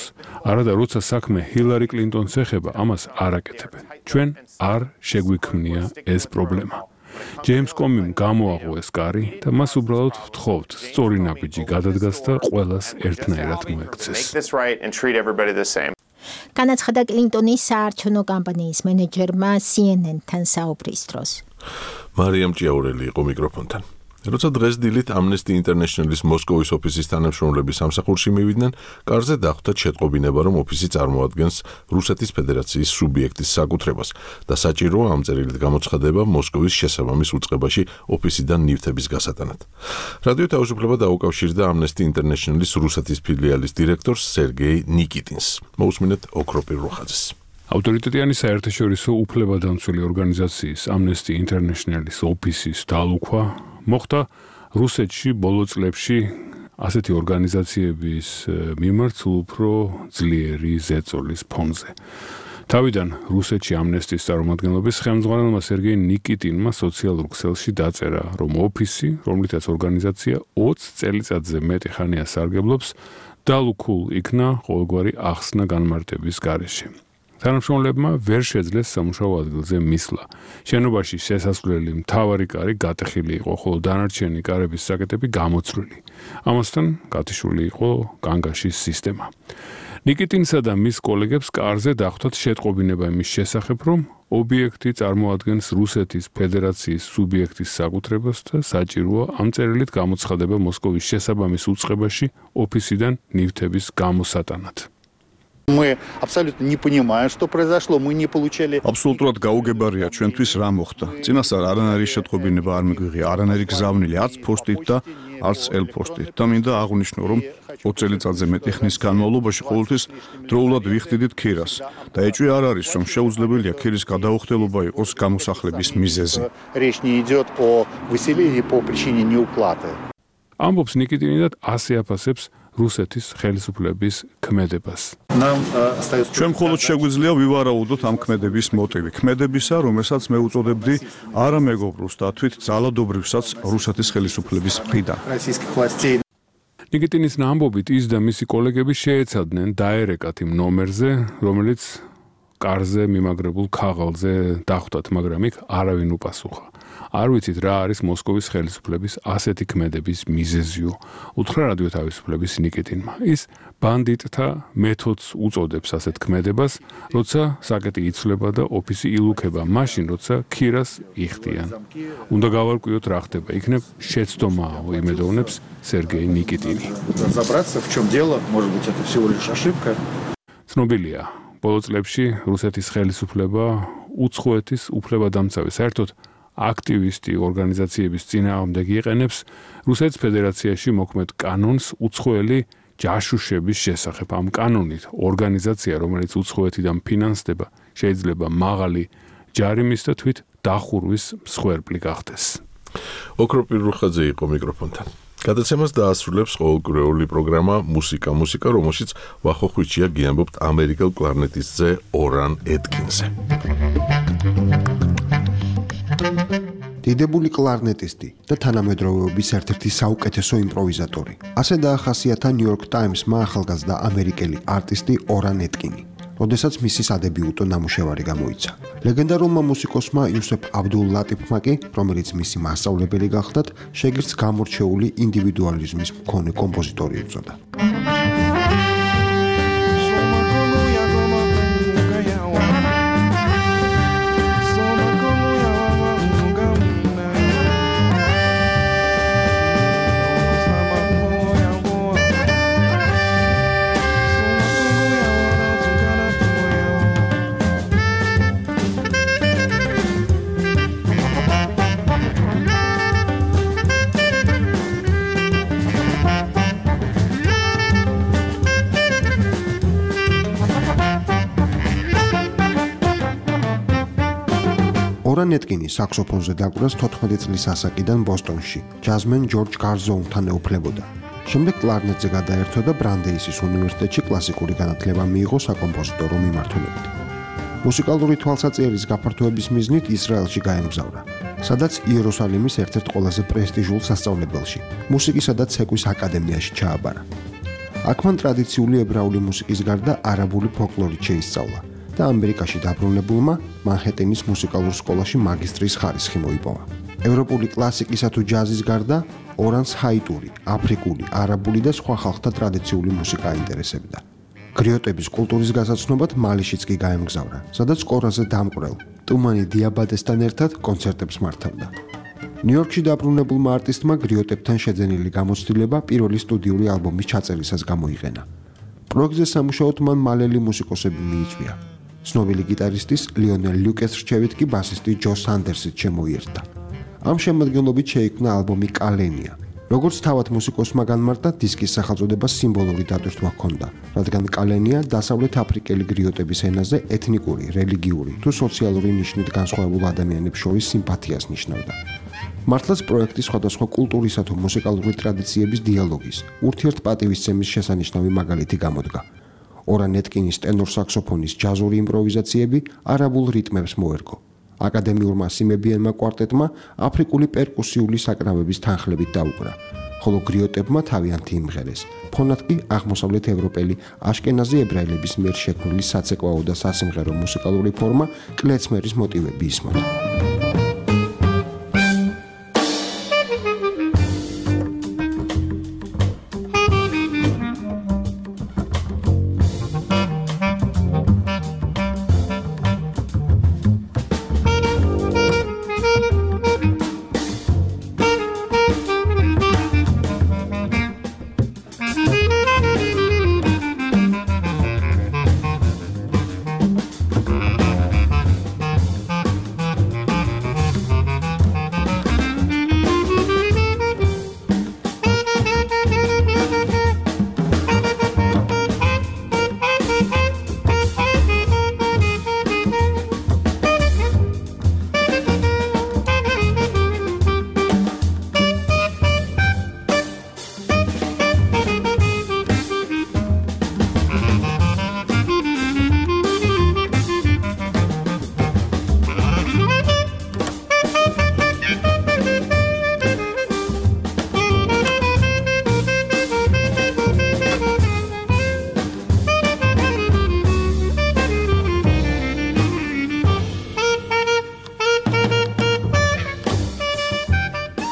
არადა როცა საქმე ჰილარი კლინტონს ეხება, ამას არ აკეთებენ. ჩვენ არ შეგვიქმნია ეს პრობლემა. ჯეიმს კომიმ გამოაღო ეს კარი და მას უბრალოდ ვთხოვთ სწორი ნაბიჯი გადადგას და ყველას ერთნაირად მოექცეს. განაცხადა კლინტონის საარჩევნო კამპანიის მენეჯერმა C N N-თან საუბრის დროს. მარიამ ჭიაურელი იყო მიკროფონთან. როცა დღეს დილით Amnesty International-ის მოსკოვის ოფისის თანამშრომლები სამსახურში მივიდნენ, კარზე დახვდათ შეტყობინება, რომ ოფისი წარმოადგენს რუსეთის ფედერაციის სუბიექტის საკუთრებას და საჭიროა ამ წერილით გამოცხადება მოსკოვის შესაბამის უწყებაში ოფისიდან ნივთების გასატანად. რადიო თავისუფლება დაუკავშირდა Amnesty International-ის რუსეთის ფილიალის დირექტორს სერგეი ნიკიტინს. მოусმინეთ ოქროპირ როხაძეს. ავტორიტეტიანი საერთაშორისო უფლებადამცველი ორგანიზაციის Amnesty International-ის ოფისის დალუქვა მოხდა რუსეთში ბოლო წლებში ასეთი ორგანიზაციების მიმართ უფრო ძლიერი ზეწოლის ფონზე. თავიდან რუსეთში ამნესტის წარმომადგენლობის ხელმძღვანელმა სერგეი ნიკიტინმა სოციალურ ქსელში დაწერა, რომ ოფისი, რომლითაც ორგანიზაცია ოცი წელიწადზე მეტი ხანია სარგებლობს, დალუქულ იქნა ყოველგვარი ახსნა განმარტების გარეშე. თანამშრომლებმა ვერ შეძლეს სამუშაო ადგილზე მისვლა. შენობაში შესასვლელი მთავარი კარი გატეხილი იყო, ხოლო დანარჩენი კარების საკეტები გამოცვლილი. ამასთან გათიშული იყო განგაშის სისტემა. ნიკიტინსა და მის კოლეგებს კარზე დახვდათ შეტყობინება იმის შესახებ, რომ ობიექტი წარმოადგენს რუსეთის ფედერაციის სუბიექტის საკუთრებას და საჭიროა ამ წერილით გამოცხადება მოსკოვის შესაბამის უწყებაში ოფისიდან ნივთების გამოსატანად. Мы абсолютно не понимаем, что произошло, мы не получили. Абсолютურად გაუგებარია ჩვენთვის რა მოხდა. წინასწარ არანაირი შეტყობინება არ მიგვიღია, არანაირი გზავნილი არც ფოსტით და არც ელ-ფოსტით. და მინდა აღვნიშნო, რომ ოც წელიწადზე მეტი ხნის განმავლობაში ყოველთვის დროულად ვიხდიდით ქირას და ეჭვი არ არის, რომ შეუძლებელია ქირის გადაუხდელობა იყოს გამოსახლების მიზეზი. Речь не идет о выселении по причине неуплаты. ამბობს ნიკიტინი და ასე აფასებს რუსეთის ხელისუფლების ქმედებას. ჩვენ მხოლოდ შეგვიძლია ვივარაუდოთ ამ ქმედების მოტივი. ქმედებისა, რომელსაც მე უწოდებდი არა მეგობროს და თვით ძალადობრივსაც რუსეთის ხელისუფლების მხრიდან. ნიკიტინის ამბობით ის და მისი კოლეგები შეეცადნენ დაერეკათ იმ ნომერზე, რომელიც კარზე მიმაგრებულ ქაღალდზე დახვდათ, მაგრამ იქ არავინ უპასუხა. არ ვიცით რა არის მოსკოვის ხელისუფლების ასეთი ქმედების მიზეზიო, უთხრა რადიო თავისუფლების ნიკიტინმა. ის ბანდიტთა მეთოდს უწოდებს ასეთ ქმედებას, როცა საკეტი იცვლება და ოფისი ილუქება, მაშინ როცა ქირას იხდიან. უნდა გავარკვიოთ რა ხდება, იქნებ შეცდომაა, იმედოვნებს სერგეი ნიკიტინი. Разобраться, в чем дело, может быть, это всего лишь ошибка. ცნობილია, ბოლო წლებში რუსეთის ხელისუფლება უცხოეთის უფლებადამცავი საერთოდ აქტივისტი ორგანიზაციების წინააღმდეგ იყენებს რუსეთის ფედერაციაში მოქმედ კანონს უცხოელი ჯაშუშების შესახებ. ამ კანონით ორგანიზაცია, რომელიც უცხოეთიდან ფინანსდება, შეიძლება მაღალი ჯარიმის და თვით დახურვის მსხვერპლი გახდეს. ოქროპირ რუხაძე იყო მიკროფონთან. გადაცემას დაასრულებს ყოველკვირეული პროგრამა მუსიკა მუსიკა, რომელშიც ვახო ხვიჩია გიამბობთ ამერიკელ კლარნეტისტზე ორან ეტკინზე. დიდებული კლარნეტისტი და თანამედროვეობის ერთ-ერთი საუკეთესო იმპროვიზატორი. ასე დაახასიათა New York Times-მა ახალგაზრდა ამერიკელი არტისტი ორან ეტკინი, როდესაც მისი სადებიუტო ნამუშევარი გამოიცა. ლეგენდარულმა მუსიკოსმა იუსეფ აბდულ ლატიფმა კი, რომელიც მისი მასწავლებელი გახლდათ, შეგირდს გამორჩეული ინდივიდუალიზმის მქონე კომპოზიტორი უწოდა. ორან ეტკინი საქსოფონზე დაკვრას თოთხმეტი წლის ასაკიდან ბოსტონში, ჯაზმენ ჯორჯ გარზოუნთან ეუფლებოდა. შემდეგ კლარნეტზე გადაერთო და ბრანდეისის უნივერსიტეტში კლასიკური განათლება მიიღო საკომპოზიტორო მიმართულებით. მუსიკალური თვალსაჩინოს გაფართოების მიზნით ისრაელში გაემგზავრა, სადაც იერუსალიმის ერთ-ერთ ყველაზე პრესტიჟულ სასწავლებელში, მუსიკისა და ცეკვის აკადემიაში ჩააბარა. აქ მან ტრადიციული ებრაული მუსიკის გარდა არაბული ფოლკლორით შეისწავლა და ამერიკაში დაბრუნებულმა მანჰეტენის მუსიკალურ სკოლაში მაგისტრის ხარისხი მოიპოვა. ევროპული კლასიკისა თუ ჯაზის გარდა ორანს ჰაიტური, აფრიკული, არაბული და სხვა ხალხთა ტრადიციული მუსიკა აინტერესებდა. გრიოტების კულტურის გასაცნობად მალიშიც კი გაემგზავრა, სადაც კორაზე დამკვრელ ტუმანი დიაბატესთან ერთად კონცერტებს მართავდა. ნიუ-იორკში დაბრუნებულმა არტისტმა გრიოტებთან შეძენილი გამოცდილება პირველი სტუდიური ალბომის ჩაწერისას გამოიყენა. პროექტზე სამუშაოდ მან მალელი მუსიკოსები მიიწვია. ცნობილი გიტარისტის ლიონელ ლუკეს რჩევით კი ბასისტი ჯო სანდერსიც შემოიერთა. ამ შემადგენლობით შეიქმნა ალბომი კალენია. როგორც თავად მუსიკოსმა განმარტა, დისკის სახელწოდებას სიმბოლური დატვირთვა ჰქონდა, რადგან კალენია დასავლეთ აფრიკელი გრიოტების ენაზე ეთნიკური, რელიგიური თუ სოციალური ნიშნით განსხვავებულ ადამიანებს შორის სიმპათიას ნიშნავდა. მართლაც პროექტი სხვადასხვა კულტურისა თუ მუსიკალური ტრადიციების დიალოგის, ურთიერთპატივისცემის შესანიშნავი მაგალითი გამოდგა. ორან ეტკინის ტენორ საქსოფონის ჯაზური იმპროვიზაციები არაბულ რიტმებს მოერგო. აკადემიურმა სიმებიელმა კვარტეტმა აფრიკული პერკუსიული საკრავების თანხლებით დაუკრა, ხოლო გრიოტებმა თავიანთი იმღერეს. ფონად კი აღმოსავლეთ ევროპელი აშკენაზი ებრაელების მიერ შექმნილი საცეკვაო და სასიმღერო მუსიკალური ფორმა კლეცმერის მოტივები ისმოდა.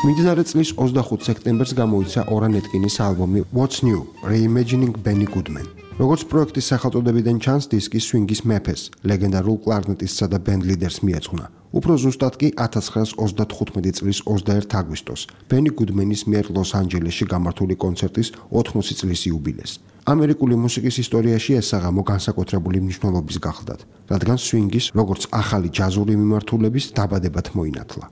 მიმდინარე წლის ოცდახუთ სექტემბერს გამოიცა ორან ეტკინის ალბომი What's New? Reimagining Benny Goodman. როგორც პროექტის სახელწოდებიდან ჩანს, დისკი სვინგის მეფეს, ლეგენდარულ კლარნეტისტსა და ბენდ ლიდერს მიეძღვნა. უფრო ზუსტად კი ათას ცხრაას ოცდათხუთმეტი წლის ოცდაერთი აგვისტოს, ბენი გუდმენის მიერ ლოს-ანჯელესში გამართული კონცერტის ოთხმოცი წლის იუბილეს. ამერიკული მუსიკის ისტორიაში ეს საღამო განსაკუთრებული მნიშვნელობის გახლდათ, რადგან სვინგის, როგორც ახალი ჯაზური მიმართულების დაბადებად მოინათლა.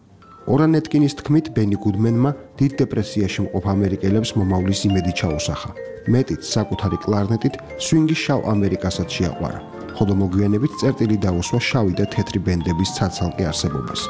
ორან ეტკინის თქმით, ბენი გუდმენმა დიდ დეპრესიაში მყოფ ამერიკელებს მომავლის იმედი ჩაუსახა. მეტიც საკუთარი კლარნეტით სვინგის შავ ამერიკასაც შეაყვარა, ხოლო მოგვიანებით წერტილი დაუსვა შავი და თეთრი ბენდების ცალ-ცალკე არსებობას.